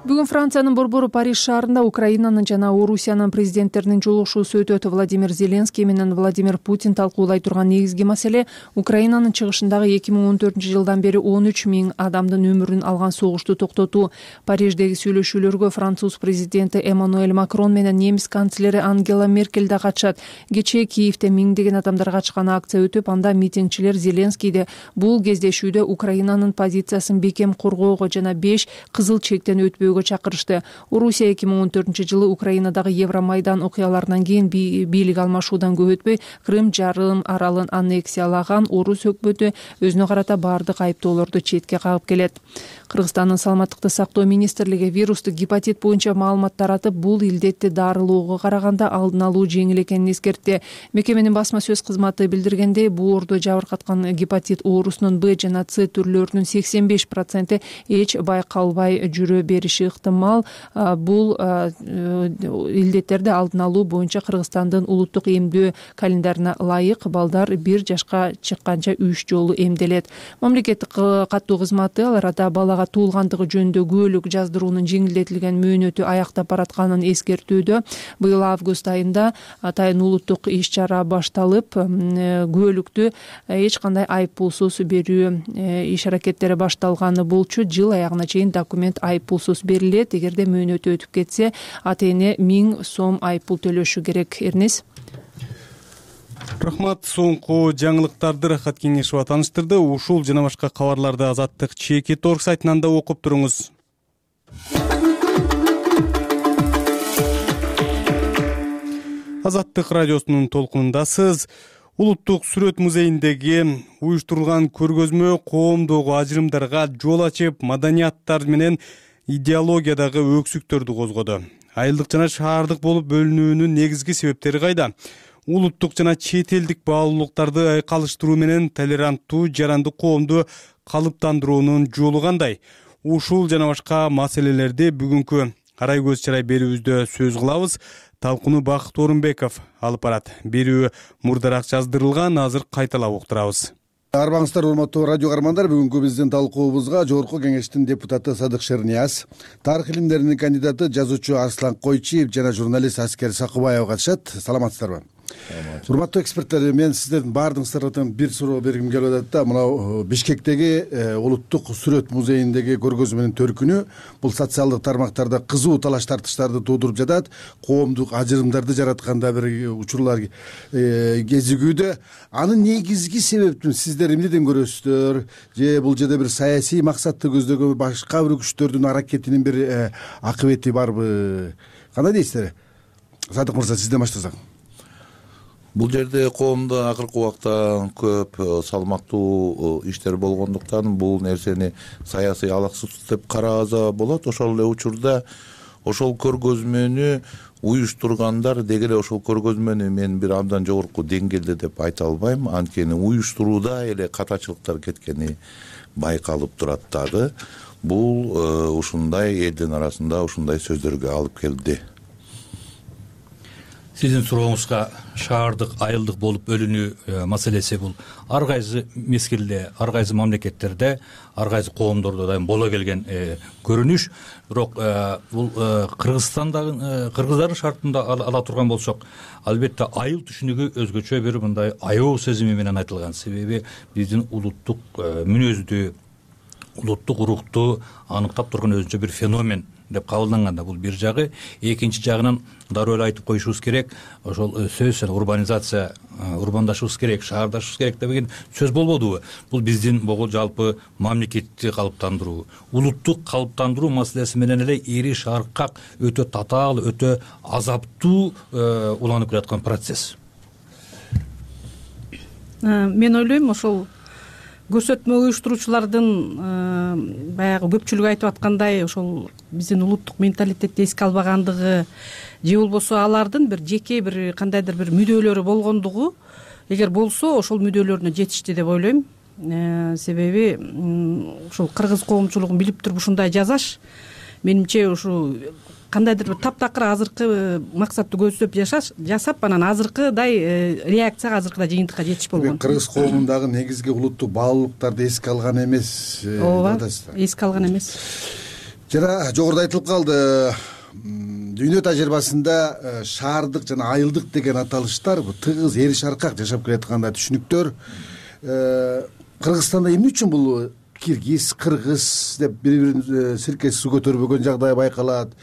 Бүгүн Франциянын борбору Париж шаарында Украинанын жана Орусиянын президенттеринин жолугушуусу өтөт. Владимир Зеленский менен Владимир Путин талкуулай турган негизги маселе Украинанын чыгышындагы эки миң он төртүнчү жылдан бери он үч миң адамдын өмүрүн алган согушту токтотуу. Париждеги сүйлөшүүлөргө француз президенти Эммануэль Макрон менен немис канцлери Ангела Меркель да катышат. Кечээ Киевде миңдеген адамдар катышкан акция өтүп, анда митингчилер Зеленскийди бул кездешүүдө Украинанын позициясын бекем коргоого жана беш кызыл чектен өтпөөгө чакырышты. Орусия эки миң он төртүнчү жылы Украинадагы Евромайдан окуяларынан кийин бийлик алмашуудан көп өтпөй Крым жарым аралын аннексиялаган орус өкмөтү өзүнө карата баардык айыптоолорду четке кагып келет. Кыргызстандын саламаттыкты сактоо министрлиги вирустук гепатит боюнча маалымат таратып, бул илдетти дарылоого караганда алдын алуу жеңил экенин эскертти. Мекеменин басма сөз кызматы билдиргендей, боордо жабыркаткан гепатит оорусунун Б жана С түрлөрүнүн сексен беш проценти эч байкалбай жүрө бериши ыктымал. Бул илдеттерди алдын алуу боюнча Кыргызстандын улуттук эмдөө календарына ылайык балдар бир жашка чыкканча үч жолу эмделет. Мамлекеттик каттоо кызматы ал арада балага туулгандыгы жөнүндө күбөлүк жаздыруунун жеңилдетилген мөөнөтү аяктап баратканын эскертүүдө. Быйыл август айында атайын улуттук иш чара башталып, күбөлүктү эч кандай айып пулсуз берүү иш аракеттери башталганы болчу. Жыл аягына чейин документ айып пулсуз берилет. Эгерде мөөнөтү өтүп кетсе, ата эне миң сом айып пул төлөшү керек. Эрнис. Рахмат. Соңку жаңылыктарды Рахат Кеңешова тааныштырды. Ушул жана башка кабарларды Азаттык чеки точка орг сайтынан да окуп туруңуз. Азаттык радиосунун толкунундасыз. Улуттук сүрөт музейиндеги уюштурулган көргөзмө коомдогу ажырымдарга жол ачып, маданияттар менен идеологиядагы өксүктөрдү козгоду. Айылдык жана шаардык болуп бөлүнүүнүн негизги себептери кайда? Улуттук жана чет элдик баалуулуктарды айкалыштыруу менен толеранттуу, жарандык коомду калыптандыруунун жолу кандай? Ушул жана башка маселелерди бүгүнкү Арай көз чырай берүүбүздө сөз кылабыз. Талкууну Бакыт Орунбеков алып барат. Берүү мурдараак жаздырылган, азыр кайталап уктурабыз. Арбаңыздар, урматтуу радио каармандар, бүгүнкү биздин талкуубузга Жогорку Кеңештин депутаты Садык Шернияз, тарых илимдеринин кандидаты жазуучу Арслан Койчиев жана журналист Аскер Сакыбаев катышат. Саламатсыздарбы? урматтуу эксперттер, мен сиздердин баардыгыңыздардан бир суроо бергим келип атат да. Мына Бишкектеги улуттук сүрөт музейиндеги көргөзмөнүн төркүнү бул социалдык тармактарда кызуу талаш тартыштарды туудуруп жатат, коомдук ажырымдарды жаратканда бир учурлар кезигүүдө. Анын негизги себептин сиздер эмнеден көрөсүздөр? Же бул жерде бир саясий максатты көздөгөн башка бир күчтөрдүн аракетинин бир акыбети барбы? Кандай дейсиздер? Садык мырза, сизден баштасак. Бул жерде коомдо акыркы убакта көп салмактуу иштер болгондуктан бул нерсени саясий алаксыз деп карааса болот. Ошол эле учурда ошол көргөзмөнү уюштургандар деги эле ошол көргөзмөнү мен бир абдан жогорку деңгээлде деп айта албайм. Анткени уюштурууда эле катачылыктар кеткени байкалып турат дагы. Бул ушундай элдин арасында ушундай сөздөргө алып келди. Сиздин сурооңузга шаардык айылдык болуп бөлүнүү маселеси бул ар кайсы мезгилде, ар кайсы мамлекеттерде, ар кайсы коомдордо дайым боло келген көрүнүш. Бирок бул Кыргызстандагы кыргыздардын шартында ала турган болсок, албетте айыл түшүнүгү өзгөчө бир мындай аябоо сезими менен айтылган. Себеби биздин улуттук мүнөздү, улуттук рухту аныктап турган өзүнчө бир феномен деп кабылданганда бул бир жагы. Экинчи жагынан дароо эле айтып коюшубуз керек, ошол сөз урбанизация, урбандашыбыз керек, шаардашыбыз керек деген сөз болбодубу? Бул биздин бул жалпы мамлекетти калыптандыруу, улуттук калыптандыруу маселеси менен эле эри шаркак өтө татаал, өтө азаптуу уланып келаткан процесс. Мен ойлойм, ошол көрсөтмө уюштуруучулардын баягы көпчүлүгү айтып аткандай ошол биздин улуттук менталитетти эске албагандыгы же болбосо алардын бир жеке бир кандайдыр бир мүдөлөрү болгондугу, эгер болсо ошол мүдөлөрүнө жетишти деп ойлойм. Себеби ушул кыргыз коомчулугун билип туруп ушундай жасаш менимче ушу кандайдыр бир таптакыр азыркы максатты көздөп жасап анан азыркыдай реакцияга, азыркыдай жыйынтыкка жетиш болгон. Кыргыз коомундагы негизги улуттук баалуулуктарды эске алган эмес. Ооба, эске алган эмес. Жана жогоруда айтылып калды, дүйнө тажрыйбасында шаардык жана айылдык деген аталыштар тыгыз эри шаркак жашап келатканда түшүнүктөр. Кыргызстанда эмне үчүн бул киргиз, кыргыз деп бири-бирин сиркеси суу көтөрбөгөн жагдай байкалат?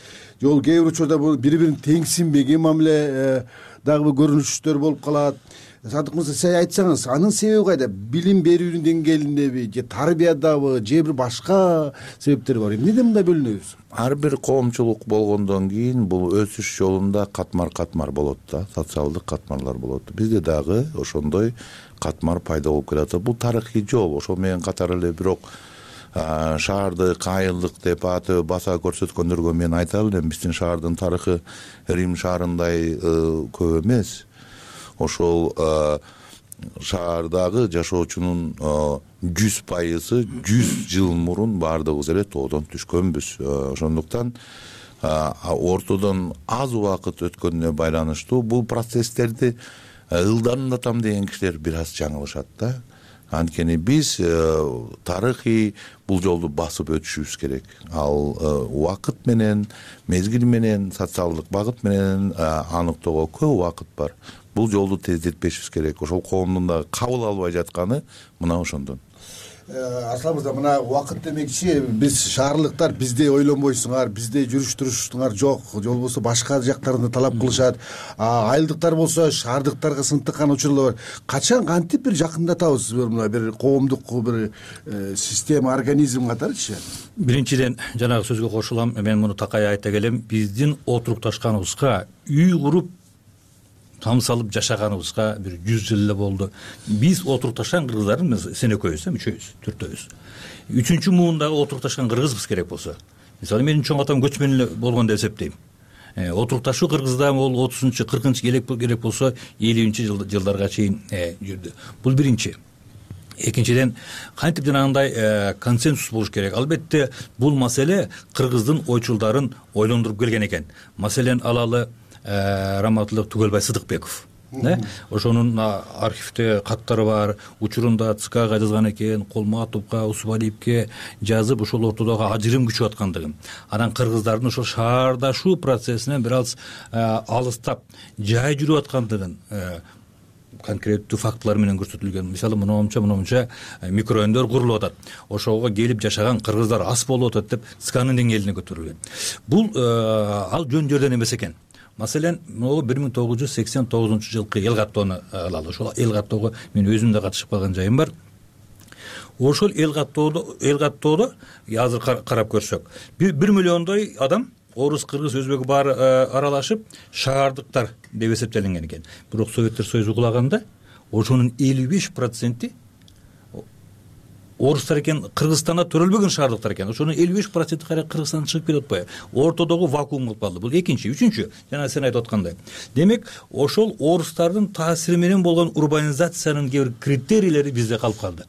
Жол кээ бир учурда бул бири-бирин теңсинбеген мамиле дагы көрүнүштөр болуп калат. Садык мырза, сиз айтсаңыз, анын себеби кайда? Билим берүүнүн деңгээлиндеби, же тарбиядабы, же бир башка себептер бар? Эмнеден мындай бөлүнөбүз? Ар бир коомчулук болгондон кийин бул өсүш жолунда катмар-катмар болот да, социалдык катмарлар болот. Бизде дагы ошондой катмар пайда болуп келатат. Бул тарыхый жол. Ошол менен катар эле бирок шаардык, айылдык деп аты баса көрсөткөндөргө мен айта элем, биздин шаардын тарыхы Рим шаарындай көп эмес. Ошол шаардагы жашоочунун жүз пайызы жүз жыл мурун баардыгыбыз эле тоодон түшкөнбүз. Ошондуктан ортодон аз убакыт өткөнүнө байланыштуу бул процесстерди ылдамдатам деген кишилер бир аз жаңылышат да. Анткени биз тарыхый бул жолду басып өтүшүбүз керек. Ал убакыт менен, мезгил менен, социалдык багыт менен аныктоого көп убакыт бар. Бул жолду тездетпешибиз керек. Ошол коомдун дагы кабыл албай жатканы мына ошондон. Арслан мырза, мына убакыт демекчи, биз шаарлыктар биздей ойлонбойсуңар, биздей жүрүш туруштуңар жок, же болбосо башка жактарында талап кылышат. Айылдыктар болсо шаардыктарга сынтыккан учурлар бар. Качан кантип бир жакындатабыз мына бир коомдук бир система, организм катарычы? Биринчиден жанагы сөзгө кошулам, мен муну такай айта келем. Биздин отурукташканыбызга, үй куруп там салып жашаганыбызга бир жүз жыл эле болду. Биз отурукташкан кыргыздардын сен экөөбүз, үчөөбүз, төртөөбүз. Үчүнчү муундагы отурукташкан кыргызбыз керек болсо. Мисалы менин чоң атам көчмөн эле болгон деп эсептейм. Отурукташуу кыргызда ол отузунчу, кыркынчы керек болсо элүүнчү жылдарга чейин жүрдү. Бул биринчи. Экинчиден, кантип жанагындай консенсус болуш керек. Албетте бул маселе кыргыздын ойчулдарын ойлондуруп келген экен. Маселен алалы Раматылык Түгөлбай Сыдыкбеков. да ошонун архивде каттары бар, учурунда ЦКга жазган экен, Колматовго, Усубалиевке жазып ошол ортодогу ажырым күчөп аткандыгын, анан кыргыздардын ошол шаардашуу процессинен бир аз алыстап жай жүрүп аткандыгын конкреттүү фактылар менен көрсөтүлгөн. Мисалы монча монча микрорайондор курулуп атат, ошого келип жашаган кыргыздар аз болуп атат деп ЦКнын деңгээлине көтөрүлгөн. Бул ал жөн жерден эмес экен. Маселен, могу бир миң тогуз жүз сексен тогузунчу жылкы эл каттоону алалы. Ошол эл каттоого мен өзүм да катышып калган жайым бар. Ошол эл каттоодо эл каттоодо азыр карап көрсөк, бир миллиондой адам орус, кыргыз, өзбек баары аралашып шаардыктар деп эсептелинген экен. Бирок Советтер Союзу кулаганда ошонун элүү беш проценти орустар экен, Кыргызстанда төрөлбөгөн шаардыктар экен. Ошонун элүү беш проценти кара Кыргызстандан чыгып кетип атпайбы? Ортодогу вакуум кылып калды. Бул экинчи, үчүнчү, жана сен айтып аткандай. Демек, ошол орустардын таасири менен болгон урбанизациянын кээ бир критерийлери бизде калып калды.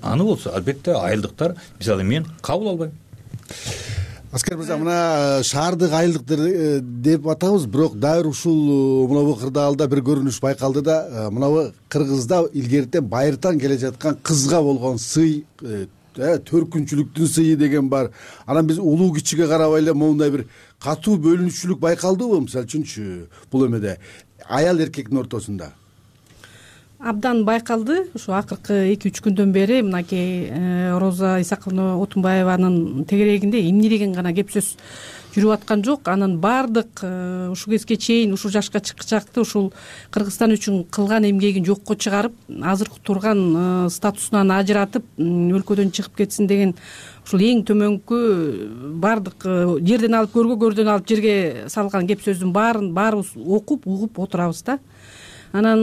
Аны болсо, албетте, айылдыктар, мисалы мен кабыл албайм. Аскер мырза, мына шаардык айылдык деп атабыз, бирок дайыр ушул мынабу кырдаалда бир көрүнүш байкалды да, мынабу Кыргызда илгертен байыртан келе жаткан кызга болгон сый, төркүнчүлүктүн сыйы деген бар. Анан биз улуу кичиге карабай эле моундай бир катуу бөлүнүшчүлүк байкалдыбы, мисалы үчүнчү бул эмеде аял эркектин ортосунда? Абдан байкалды. Ушу акыркы эки үч күндөн бери мынакей Роза Исаковна Отунбаеванын тегерегинде эмне деген гана кеп сөз жүрүп аткан жок. Анын баардык ушул кезге чейин ушул жашка чыккычакты ушул Кыргызстан үчүн кылган эмгегин жокко чыгарып, азыркы турган статусунан ажыратып, өлкөдөн чыгып кетсин деген ушул эң төмөнкү баардык жерден алып көргө, көрдөн алып жерге салган кеп сөздүн баарын баарыбыз окуп, угуп отурабыз да. Анан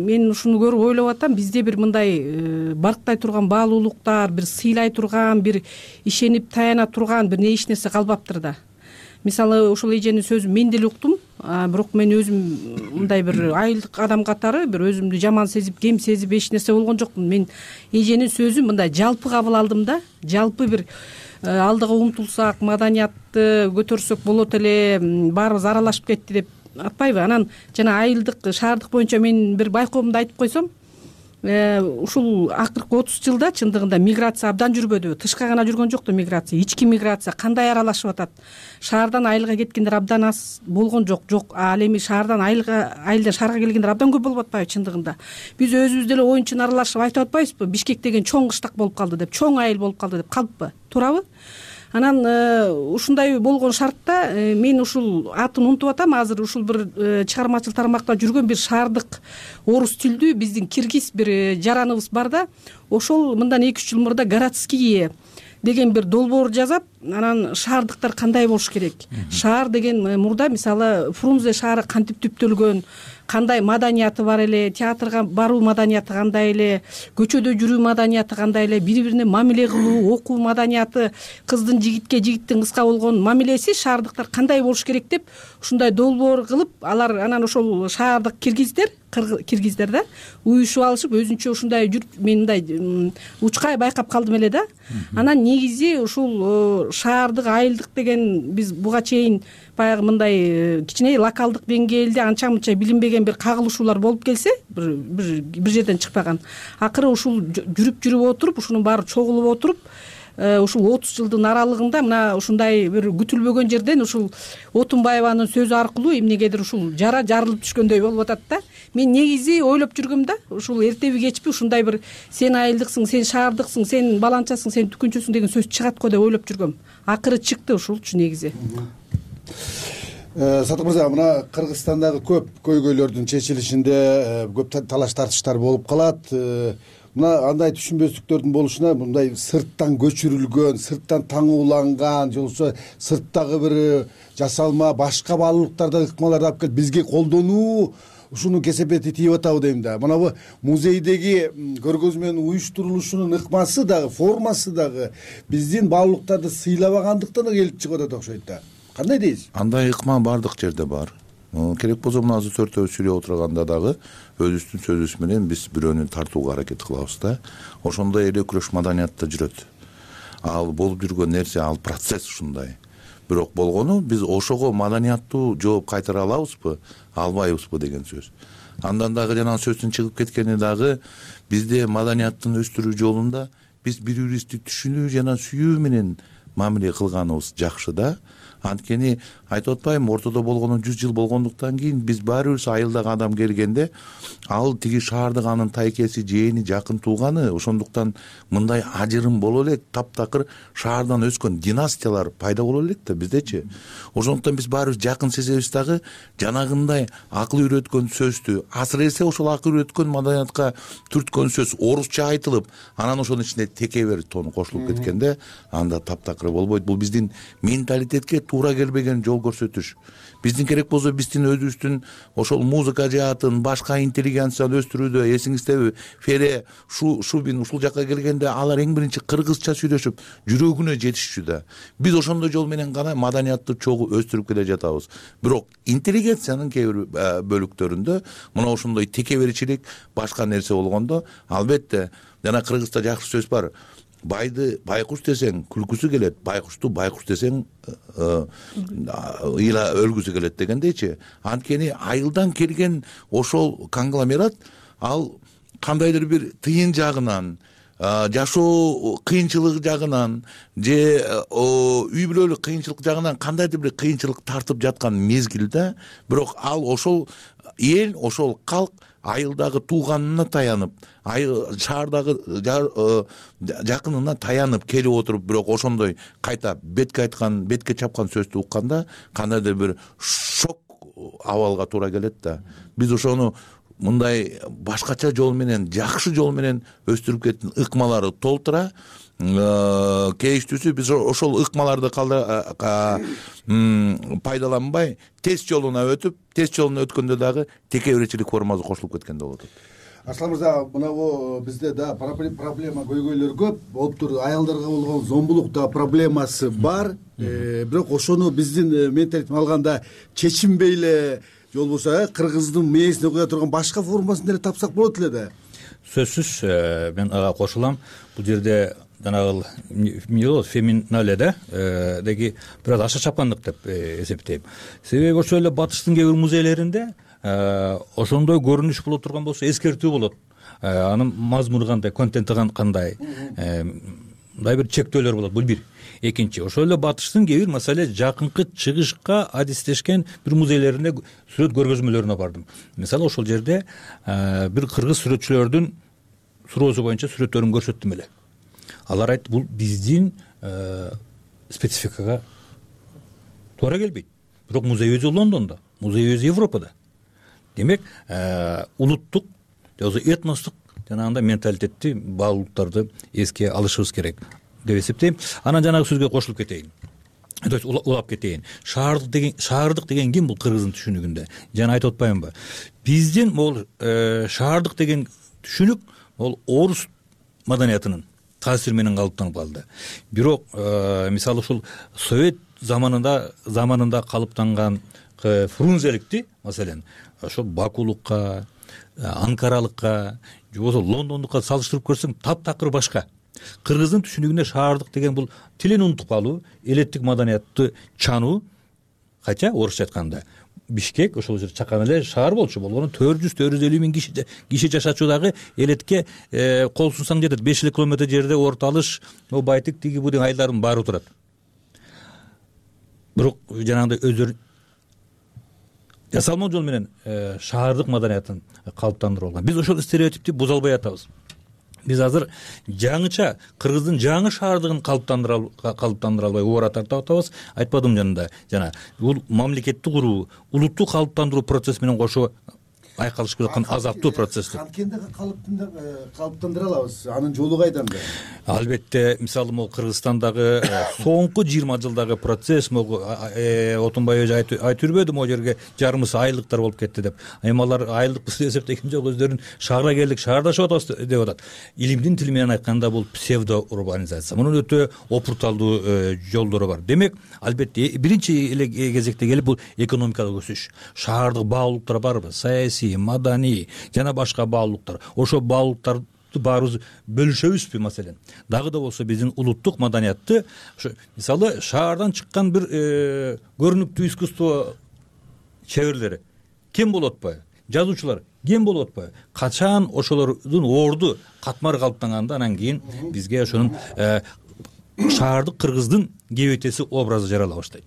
мен ушуну көрүп ойлоп атам, бизде бир мындай барктай турган баалуулуктар, бир сыйлай турган, бир ишенип таяна турган бир эч нерсе калбаптыр да. Мисалы, ушул эженин сөзүн мен деле уктум, бирок мен өзүм мындай бир айылдык адам катары бир өзүмдү жаман сезип, кем сезип эч нерсе болгон жокмун. Мен эженин сөзүн мындай жалпы кабыл алдым да, жалпы бир алдыга умтулсак, маданиятты көтөрсөк болот эле, баарыбыз аралашып кетти деп атпайбы? Анан жана айылдык, шаардык боюнча мен бир байкоомду айтып койсом, ушул акыркы отуз жылда чындыгында миграция абдан жүрбөдүбү? Тышка гана жүргөн жокту миграция, ички миграция кандай аралашып атат? Шаардан айылга кеткендер абдан аз болгон жок, жок. Ал эми шаардан айылга, айылдан шаарга келгендер абдан көп болуп атпайбы чындыгында? Биз өзүбүз деле оюн чын аралашып айтып атпайбызбы? Бишкек деген чоң кыштак болуп калды деп, чоң айыл болуп калды деп калыппы? Туурабы? Анан ушундай болгон шартта мен ушул атын унутуп атам, азыр ушул бир чыгармачыл тармакта жүргөн бир шаардык орус тилдүү биздин киргиз бир жараныбыз бар да, ошол мындан эки үч жыл мурда городские деген бир долбоор жазат. Анан шаардыктар кандай болуш керек? Шаар деген мурда мисалы Фрунзе шаары кантип түптөлгөн, кандай маданияты бар эле, театрга баруу маданияты кандай эле, көчөдө жүрүү маданияты кандай эле, бири-бирине мамиле кылуу, окуу маданияты, кыздын жигитке, жигиттин кызга болгон мамилеси шаардыктар кандай болуш керек деп ушундай долбоор кылып, алар анан ошол шаардык киргиздер, киргиздер да уюшуп алышып өзүнчө ушундай жүрүп, мен мындай учкай байкап калдым эле да. Анан негизи ушул шаардык, айылдык деген биз буга чейин баягы мындай кичине локалдык деңгээлде анча мынча билинбеген бир кагылышуулар болуп келсе, бир бир жерден чыкпаган. Акыры ушул жүрүп жүрүп отуруп, ушунун баары чогулуп отуруп, ушул отуз жылдын аралыгында мына ушундай бир күтүлбөгөн жерден ушул Отунбаеванын сөзү аркылуу эмнегедир ушул жара жарылып түшкөндөй болуп атат да. Мен негизи ойлоп жүргөм да, ушул эртеби кечпи ушундай бир сен айылдыксың, сен шаардыксың, сен баланчасың, сен түкүнчүсүң деген сөз чыгат го деп ойлоп жүргөм. Акыры чыкты ушулчу негизи. Сатык мырза, мына Кыргызстандагы көп көйгөйлөрдүн чечилишинде көп талаш тартыштар болуп калат. Мына андай түшүнбөстүктөрдүн болушуна мындай сырттан көчүрүлгөн, сырттан таңууланган, же болбосо сырттагы бир жасалма башка баалуулуктарда ыкмаларды алып келип бизге колдонуу ушуну кесепети тийип атабы дейм да. Мына бу музейдеги көргөзмө менен уюштурулушунун ыкмасы дагы, формасы дагы биздин баалуулуктарды сыйлабагандыктан да келип чыгып атат окшойт да. Кандай дейсиз? Андай ыкма бардык жерде бар. Керек болсо мына азыр төртөөбүз сүйлөп отурганда дагы өзүбүздүн сөзүбүз менен биз бирөөнү тартууга аракет кылабыз да. Ошондой эле күрөш маданиятта жүрөт. Ал болуп жүргөн нерсе, ал процесс ушундай. Бирок болгону биз ошого маданияттуу жооп кайтара алабызбы, албайбызбы деген сөз. Андан дагы жанагы сөздүн чыгып кеткени дагы бизде маданияттын өстүрүү жолунда биз бири бирибизди түшүнүү жана сүйүү менен мамиле кылганыбыз жакшы да. Анткени айтып атпайбы, ортодо болгону жүз жыл болгондуктан кийин биз баары бир айылдагы адам келгенде ал тиги шаардык анын тайкеси, жээни, жакын тууганы, ошондуктан мындай ажырым боло элек, таптакыр шаардан өскөн династиялар пайда боло элек да биздечи. Ошондуктан биз баарыбыз жакын сезебиз дагы жанагындай акыл үйрөткөн сөздү, асыресе ошол акыл үйрөткөн маданиятка түрткөн сөз орусча айтылып, анан ошонун ичинде текебер тону кошулуп кеткенде анда таптакыр болбойт. Бул биздин менталитетке туура келбеген жол көрсөтүш. Биздин керек болсо биздин өзүбүздүн ошол музыка жаатын, башка интеллигенцияны өстүрүүдө эсиңиздеби, Фере, Шубин ушул жакка келгенде алар эң биринчи кыргызча сүйлөшүп, жүрөгүнө жетишчү да. Биз ошондой жол менен гана маданиятты чогуу өстүрүп келе жатабыз. Бирок интеллигенциянын кээ бир бөлүктөрүндө мына ошондой текеберчилик, башка нерсе болгондо, албетте, жана кыргызда жакшы сөз бар. Байды байкуш десең күлкүсү келет, байкушту байкуш десең ыйла өлгүсү келет дегендейчи. Анткени айылдан келген ошол конгломерат ал кандайдыр бир тыйын жагынан, жашоо кыйынчылыгы жагынан же үй бүлөлүк кыйынчылык жагынан кандайдыр бир кыйынчылык тартып жаткан мезгилде, бирок ал ошол эл, ошол калк айылдагы тууганына таянып, шаардагы жакынына таянып келип отуруп, бирок ошондой кайта бетке айткан, бетке чапкан сөздү укканда кандайдыр бир шок абалга туура келет да. Биз ошону мындай башкача жол менен, жакшы жол менен өстүрүп кеткен ыкмалары толтура, кейиштүүсү биз ошол ыкмаларды пайдаланбай тест жолуна өтүп, тест жолуна өткөндө дагы текеберчилик формасы кошулуп кеткенде болот. Арслан мырза, мына бизде да проблема көйгөйлөр көп болуп тур. Аялдарга болгон зомбулук да проблемасы бар. Бирок ошону биздин менталитет алганда чечинбей эле, же болбосо кыргыздын мээсине куя турган башка формасын деле тапсак болот эле да. Сөзсүз мен ага кошулам. Бул жерде жанагы эмне феминале да деги бир аз аша чапкандык деп эсептейм. Себеби ошол эле батыштын кээ бир музейлеринде ошондой көрүнүш боло турган болсо эскертүү болот. Анын мазмуну кандай, контенти кандай, мындай бир чектөөлөр болот. Бул бир. Экинчи, ошол эле батыштын кээ бир маселе жакынкы чыгышка адистешкен бир музейлерине сүрөт көргөзмөлөрүнө бардым. Мисалы ошол жерде бир кыргыз сүрөтчүлөрдүн суроосу боюнча сүрөттөрүн көрсөттүм эле. Алар айтты, бул биздин спецификага туура келбейт. Бирок музей өзү Лондондо, музей өзү Европада. Демек, улуттук, этностук жанагындай менталитетти, баалуулуктарды эске алышыбыз керек деп эсептейм. Анан жанагы сөзгө кошулуп кетейин. То есть улап кетейин. Шаардык деген, шаардык деген ким бул кыргыздын түшүнүгүндө? Жана айтып атпаймынбы? Биздин могул шаардык деген түшүнүк могул орус маданиятынын таасири менен калыптанып калды. Бирок мисалы ушул совет заманында заманында калыптанган фрунзеликти, маселен, ошо бакулукка, анкаралыкка, же болбосо лондондукка салыштырып көрсөң таптакыр башка. Кыргыздын түшүнүгүндө шаардык деген бул тилин унутуп калуу, элеттик маданиятты чануу, кача орусча айтканда Бишкек ошол жер чакан эле шаар болчу, болгону төрт жүз төрт жүз элүү миң киши киши жашачудагы элетке кол сунсаң жетет. беш элүү километр жерде Орто Алыш, Байтык, тиги будин айылдардын баары турат. Бирок жанагындай өздөрү жасалма жол менен шаардык маданиятын калыптандырып алган. Биз ошол стереотипти буза албай атабыз. Биз азыр жаңыча кыргыздын жаңы шаардыгын калыптандыра калыптандыра албай убара тартып атабыз. Айтпадым жанында жана бул мамлекетти куруу, улутту калыптандыруу процесси менен кошо айкалышып жаткан азаптуу процесс. Канткенде калыптандыра алабыз. Анын жолу кайданда? Албетте, мисалы могу Кыргызстандагы соңку жыйырма жылдагы процесс, могу Отунбай өзү айтып жүрбөдү, могу жерге жарымысы айылдыктар болуп кетти деп. Эми алар айылдыкпыз деп эсептеген жок, өздөрүн шаарга келдик, шаардашып атабыз деп атат. Илимдин тили менен айтканда бул псевдоурбанизация. Мунун өтө опурталдуу жолдору бар. Демек, албетте биринчи эле кезекте келип бул экономикалык өсүш. Шаардык баалуулуктар барбы? Саясий, маданий жана башка баалуулуктар. Ошо баалуулуктарды баарыбыз бөлүшөбүзбү маселен? Дагы да болсо биздин улуттук маданиятты, ошо мисалы шаардан чыккан бир көрүнүктүү искусство чеберлери ким болуп атпайбы? жазуучулар кем болуп атпайбы? Качан ошолордун орду катмары калыптанганда анан кийин бизге ошонун шаардык кыргыздын кебетеси образы жарала баштайт.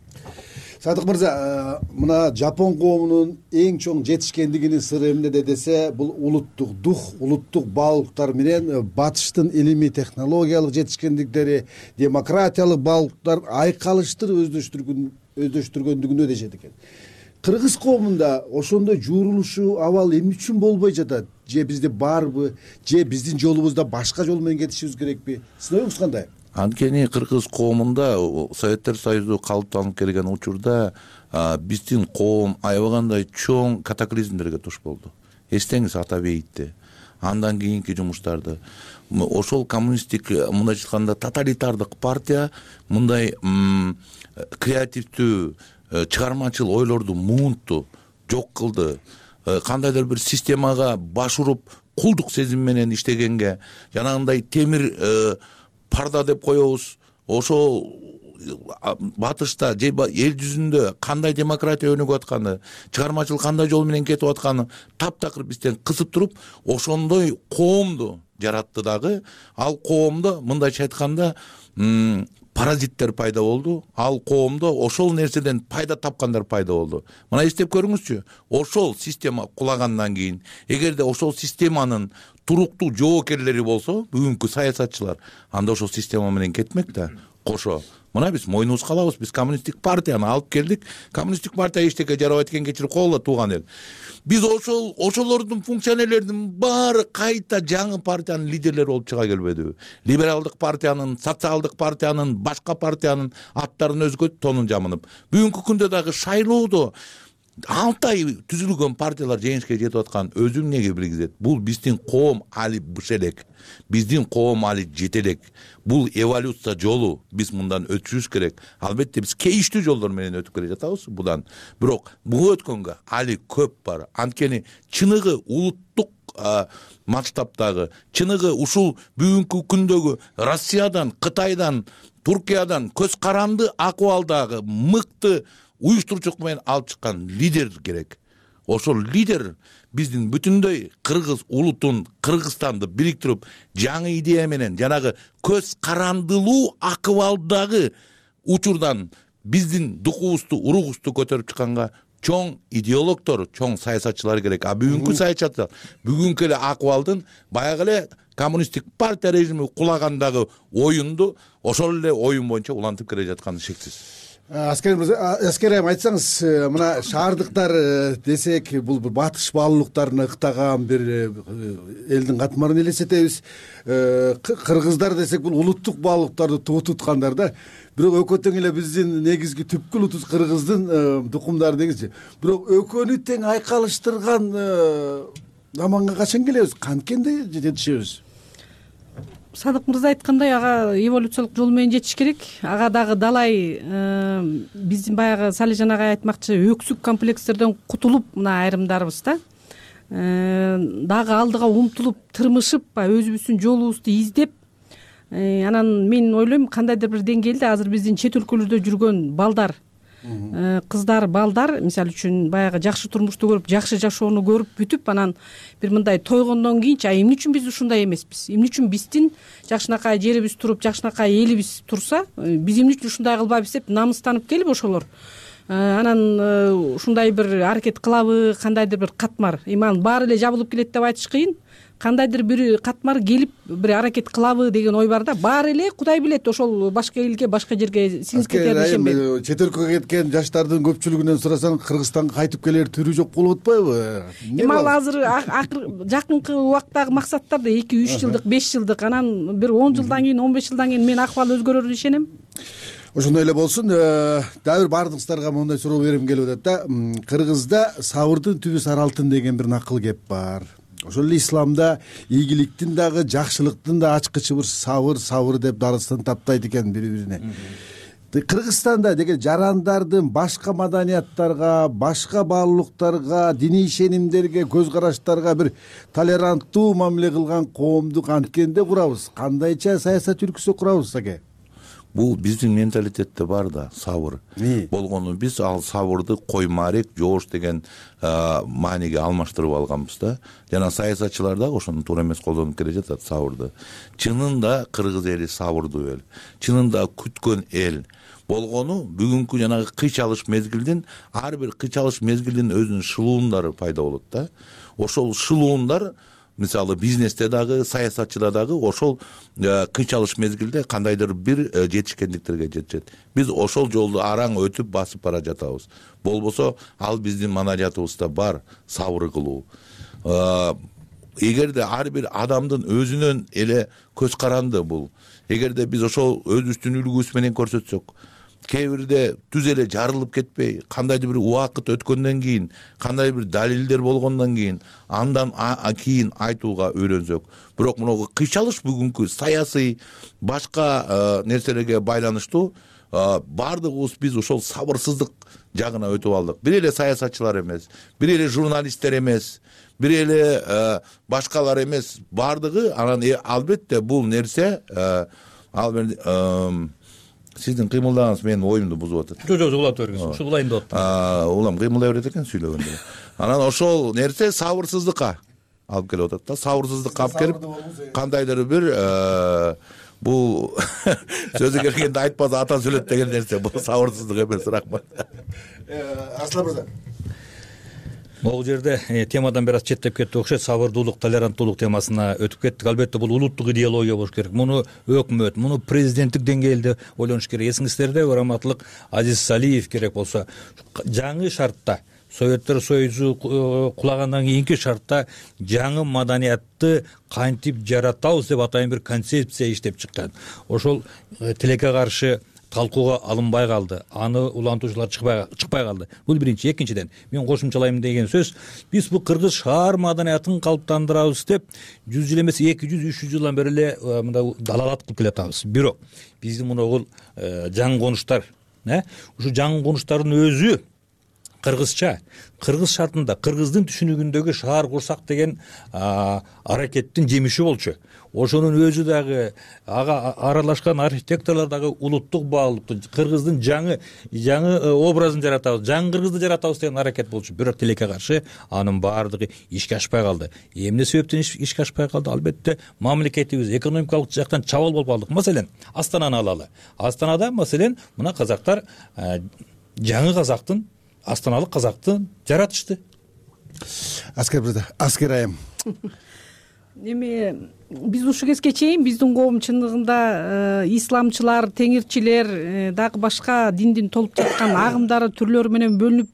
Садык мырза, мына жапон коомунун эң чоң жетишкендигинин сыры эмнеде десе, бул улуттук дух, улуттук баалуулуктар менен батыштын илимий технологиялык жетишкендиктери, демократиялык баалуулуктар айкалыштыр өздөштүргөндүгүнө дешет экен. Кыргыз коомунда ошондой жуурулушу абал эмне үчүн болбой жатат? Же бизде барбы? Же биздин жолубузда башка жол менен кетишибиз керекпи? Сиздин оюңуз кандай? Анткени кыргыз коомунда Советтер Союзу калыптанып келген учурда биздин коом аябагандай чоң катаклизмдерге туш болду. Эстеңиз Ата бейитти, андан кийинки жумуштарды. Ошол коммунисттик мындайча айтканда тоталитардык партия мындай креативдүү, чыгармачыл ойлорду муунтту, жок кылды. Кандайдыр бир системага баш уруп, кулдук сезим менен иштегенге, жанагындай темир парда деп коебуз. Ошол батышта же эл жүзүндө кандай демократия өнүгүп атканы, чыгармачылык кандай жол менен кетип атканы таптакыр бизден кысып туруп, ошондой коомду жаратты дагы. Ал коомдо мындайча айтканда паразиттер пайда болду. Ал коомдо ошол нерседен пайда тапкандар пайда болду. Мына эстеп көрүңүзчү, ошол система кулагандан кийин, эгерде ошол системанын туруктуу жоокерлери болсо, бүгүнкү саясатчылар, анда ошол система менен кетмек да. Кошо мына биз мойнубузга алабыз, биз коммунисттик партияны алып келдик. Коммунисттик партия эчтеке жарабайт экен, кечирип койгула тууган эл. Биз ошол ошолордун функционерлеринин баары кайта жаңы партиянын лидерлери болуп чыга келбедиби? Либералдык партиянын, социалдык партиянын, башка партиянын аттарын өзгөртүп, тонун жамынып. Бүгүнкү күндө дагы шайлоодо алты ай түзүлгөн партиялар жеңишке жетип аткан өзүң неге билгизет? Бул биздин коом али быш элек. Биздин коом али жете элек. Бул эволюция жолу. Биз мындан өтүшүбүз керек. Албетте биз кейиштүү жолдор менен өтүп келе жатабыз будан. Бирок бул өткөнгө али көп бар. Анткени чыныгы улуттук масштабтагы, чыныгы ушул бүгүнкү күндөгү Россиядан, Кытайдан, Туркиядан көз каранды акыбалдагы мыкты уюштуруучулук менен алып чыккан лидер керек. Ошол лидер биздин бүтүндөй кыргыз улутун, Кыргызстанды бириктирип, жаңы идея менен жанагы көз карандылуу акыбалдагы учурдан биздин духубузду, уругубузду көтөрүп чыкканга чоң идеологдор, чоң саясатчылар керек. А бүгүнкү саясатчылар бүгүнкү эле акыбалдын баягы эле коммунисттик партия режими кулагандагы оюнду ошол эле оюн боюнча улантып келе жатканы шексиз. Аскер айым, айтсаңыз, мына шаардыктар десек, бул батыш баалуулуктарына ыктаган бир элдин катмарын элестетебиз. Кыргыздар десек, бул улуттук баалуулуктарды туу туткандар да. Бирок экөө тең эле биздин негизги түпкү улутубуз кыргыздын тукумдары деңизчи. Бирок экөөнү тең айкалыштырган заманга качан келебиз? Канткенде жетишебиз? Садык мырза айткандай, ага эволюциялык жол менен жетиш керек. Ага дагы далай биздин баягы Салижан агай айтмакчы, өксүк комплекстерден кутулуп, мына айрымдарыбыз да дагы алдыга умтулуп, тырмышып, өзүбүздүн жолубузду издеп, анан мен ойлойм, кандайдыр бир деңгээлде азыр биздин чет өлкөлөрдө жүргөн балдар, кыздар, балдар, мисалы үчүн баягы жакшы турмушту көрүп, жакшы жашоону көрүп бүтүп, анан бир мындай тойгондон кийинчи, а эмне үчүн биз ушундай эмеспиз? Эмне үчүн биздин жакшынакай жерибиз туруп, жакшынакай элибиз турса, биз эмне үчүн ушундай кылбайбыз деп намыстанып келип ошолор анан ушундай бир аракет кылабы, кандайдыр бир катмар, эми анын баары эле жабылып келет деп айтыш кыйын. Кандайдыр бир катмар келип бир аракет кылабы деген ой бар да. Баары эле Кудай билет, ошол башка элге, башка жерге сиңип кетер дешем мен. Чет өлкөгө кеткен жаштардын көпчүлүгүнөн сурасаң, Кыргызстанга кайтып келер түрү жок болуп атпайбы? Эми ал азыр жакынкы убактагы максаттар да эки үч жылдык, беш жылдык, анан бир он жылдан кийин, он беш жылдан кийин мен акыбал өзгөрөрүн ишенем. Ошондой эле болсун. Дагы бир баардыгыңыздарга моундай суроо берем келип атат да. Кыргызда сабырдын түбү сары алтын деген бир накыл кеп бар. Ошол эле исламда ийгиликтин дагы, жакшылыктын да ачкычы бир сабыр, сабыр деп дарыстан таптайт экен бири-бирине. Кыргызстанда деген жарандардын башка маданияттарга, башка баалуулуктарга, диний ишенимдерге, көз караштарга бир толеранттуу мамиле кылган коомду канткенде курабыз? Кандайча саясат жүргүзсөк курабыз аке? бул биздин менталитетте бар да сабыр болгону. Биз ал сабырды коймарек, жоош деген мааниге алмаштырып алганбыз да. Жана саясатчылар дагы ошону туура эмес колдонуп келе жатат сабырды. Чынында кыргыз эли сабырдуу эл, чынында күткөн эл болгону. Бүгүнкү жанагы кыч алыш мезгилдин, ар бир кыч алыш мезгилдин өзүнүн шылуундары пайда болот да. Ошол шылуундар мисалы бизнесте дагы, саясатчыда дагы ошол кыч алыш мезгилде кандайдыр бир жетишкендиктерге жетишет. Биз ошол жолду араң өтүп басып бара жатабыз. Болбосо ал биздин манариятыбызда бар сабыр кылуу. Эгерде ар бир адамдын өзүнөн эле көз каранды бул. Эгерде биз ошол өзүбүздүн үлгүбүз менен көрсөтсөк, кээ бирде түз эле жарылып кетпей, кандайдыр бир убакыт өткөндөн кийин, кандайдыр бир далилдер болгондон кийин, андан кийин айтууга үйрөнсөк. Бирок мына кыч алыш бүгүнкү саясий башка нерселерге байланыштуу баардыгыбыз биз ошол сабырсыздык жагына өтүп алдык. Бир эле саясатчылар эмес, бир эле журналисттер эмес, бир эле башкалар эмес, баардыгы. Анан албетте бул нерсе ал сиздин кыймылдагыңыз менин оюмду бузуп атат. Жок, жок, улап бергенсиз. Ушул улайын деп аттым. Улам кыймылдай берет экен сүйлөгөндө. Анан ошол нерсе сабырсыздыкка алып келип атат да. Сабырсыздыкка алып келип, кандайдыр бир бул сөзү келгенде айтпаса ата сүйлөт деген нерсе, бул сабырсыздык эмес. Рахмат. Аслан мырза. Могул жерде темадан бир аз четтеп кетти окшойт. Сабырдуулук, толеранттуулук темасына өтүп кеттик. Албетте бул улуттук идеология болуш керек. Муну өкмөт, муну президенттик деңгээлде ойлонуш керек. Эсиңиздерде урматтуулук Азиз Салиев керек болсо жаңы шартта, Советтер Союзу кулагандан кийинки шартта жаңы маданиятты кантип жаратабыз деп атайын бир концепция иштеп чыккан. Ошол тилекке каршы талкууга алынбай калды. Аны улантуучулар чыкпай чыкпай калды. Бул биринчи. Экинчиден, мен кошумчалайм деген сөз, биз бул кыргыз шаар маданиятын калыптандырабыз деп жүз жыл эмес эки жүз үч жүз жылдан бери эле мындай далалат кылып келатабыз. Бирок биздин мына жаңы конуштар, ушу жаңы конуштардын өзү кыргызча, кыргыз шартында, кыргыздын түшүнүгүндөгү шаар курсак деген аракеттин жемиши болчу. Ошонун өзү дагы ага аралашкан архитекторлор дагы улуттук баалыктуу кыргыздын жаңы жаңы образын жаратабыз, жаңы кыргызды жаратабыз деген аракет болчу. Бирок тилекке каршы анын баардыгы ишке ашпай калды. Эмне себептен ишке ашпай калды? Албетте мамлекетибиз экономикалык жактан чабал болуп калдык. Маселен, Астананы алалы. Астанада маселен мына казактар жаңы казактын, астаналык казакты жаратышты. Аскер мырза, Аскер айым. Эми биз ушул кезге чейин биздин коом чындыгында исламчылар, теңирчилер, дагы башка диндин толуп жаткан агымдары, түрлөрү менен бөлүнүп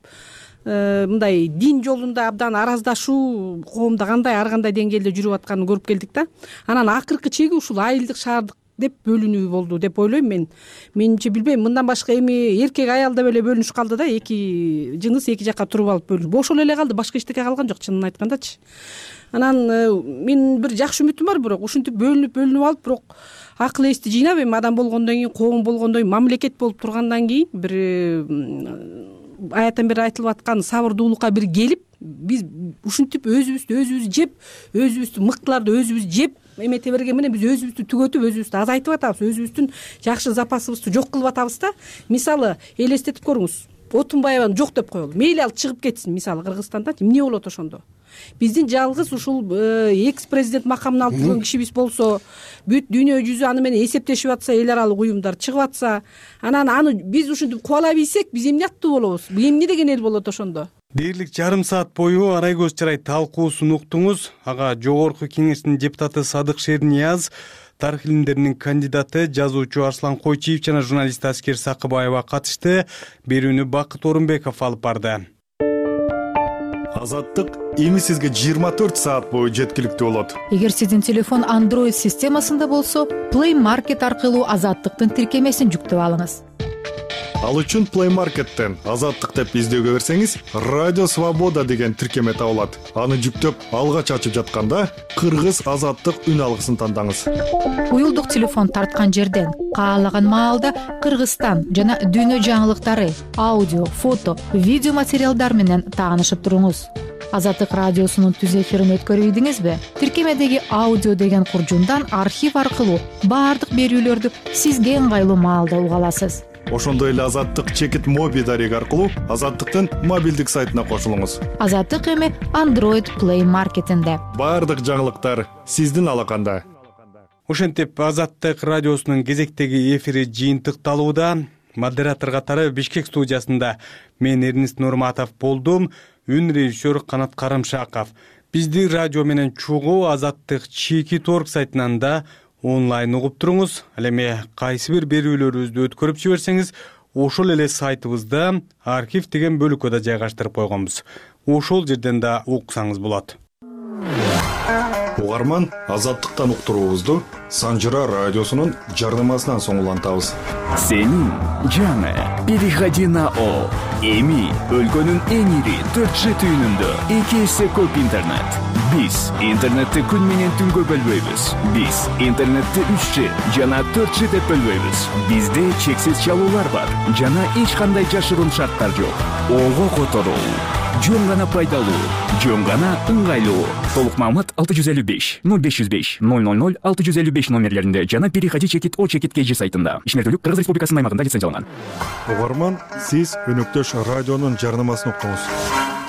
мындай дин жолунда абдан араздашуу коомдо кандай ар кандай деңгээлде жүрүп атканын көрүп келдик да. Анан акыркы чеги ушул айылдык, шаардык деп бөлүнүү болду деп ойлойм мен. Менимче билбейм, мындан башка эми эркек аял деп эле бөлүнүш калды да, эки жыныс эки жакка туруп алып бөлүнүп ошол эле калды, башка эчтеке калган жок чынын айткандачы. Анан мен бир жакшы үмүтүм бар, бирок ушинтип бөлүнүп бөлүнүп алып, бирок акыл эсти жыйнап эми адам болгондон кийин, коом болгондон кийин, мамлекет болуп тургандан кийин бир аяттан бери айтылып аткан сабырдуулукка бир келип, биз ушинтип өзүбүздү өзүбүз жеп, өзүбүздү мыктыларды өзүбүз жеп эмете берген менен биз өзүбүздү түгөтүп, өзүбүздү азайтып атабыз, өзүбүздүн жакшы запасыбызды жок кылып атабыз да. Мисалы, элестетип көрүңүз, Отунбаеваны жок деп коелу. Мейли ал чыгып кетсин, мисалы Кыргызстанда эмне болот ошондо? Биздин жалгыз ушул экс президент макамын алып жүргөн кишибиз болсо, бүт дүйнө жүзү аны менен эсептешип атса, эл аралык уюмдар чыгып атса, анан аны биз ушинтип кубала билсек, биз эмне аттуу болобуз? Эмне деген эл болот ошондо? Дээрлик жарым саат бою Арай көз чарай талкуусун уктуңуз. Ага Жогорку Кеңештин депутаты Садык Шернияз, тарых илимдеринин кандидаты, жазуучу Арслан Койчиев жана журналист Аскер Сакыбаева катышты. Берүүнү Бакыт Орунбеков алып барды. Азаттык эми сизге жыйырма төрт саат бою жеткиликтүү болот. Эгер сиздин телефон Android системасында болсо, Play Market аркылуу Азаттыктын тиркемесин жүктөп алыңыз. Ал үчүн Play Market'тен Азаттык деп издөөгө берсеңиз, Радио Свобода деген тиркеме табылат. Аны жүктөп, алгач ачып жатканда Кыргыз Азаттык үн алгысын тандаңыз. Уюлдук телефон тарткан жерден каалаган маалда Кыргызстан жана дүйнө жаңылыктары, аудио, фото, видео материалдар менен таанышып туруңуз. Азаттык радиосунун түз эфирин өткөрүп ийдиңизби? Тиркемедеги аудио деген куржундан архив аркылуу баардык берүүлөрдү сизге ыңгайлуу маалда уга аласыз. Ошондой эле Азаттык чекит моби дареги аркылуу Азаттыктын мобилдик сайтына кошулуңуз. Азаттык эми Android Play Marketинде. Баардык жаңылыктар сиздин алаканда. Ошентип Азаттык радиосунун кезектеги эфири жыйынтыкталууда. Модератор катары Бишкек студиясында мен Эрнист Нурматов болдум. Үн режиссер Канат Карымшаков. Бизди радио менен чогуу Азаттык чекит орг сайтынан да онлайн угуп туруңуз. Ал эми кайсы бир берүүлөрүбүздү өткөрүп жиберсеңиз, ошол эле сайтыбызда архив деген бөлүккө да жайгаштырып койгонбуз. Ошол жерден да уксаңыз болот. Угарман, Азаттыктан уктуруубузду Санжыра радиосунун жарнамасынан соң улантабыз. Сенин жаңы переходи на О. Эми өлкөнүн эң ири төрт жи түйүнүндө эки эсе көп интернет. Биз интернетти күн менен түнгө бөлбөйбүз. Биз интернетти үч жи жана төрт жи деп бөлбөйбүз. Бизде чексиз чалуулар бар жана эч кандай жашыруун шарттар жок. Ого которуу жөн гана пайдалуу, жөн гана ыңгайлуу. Толук маалымат алты жүз элүү беш ноль беш жүз беш ноль ноль ноль алты жүз элүү беш номерлеринде жана переходи чекит О чекит кей жи сайтында. Ишмердүүлүк Кыргыз Республикасынын аймагында лицензияланган. Угарман, сиз өнөктөш радионун жарнамасын уктуңуз.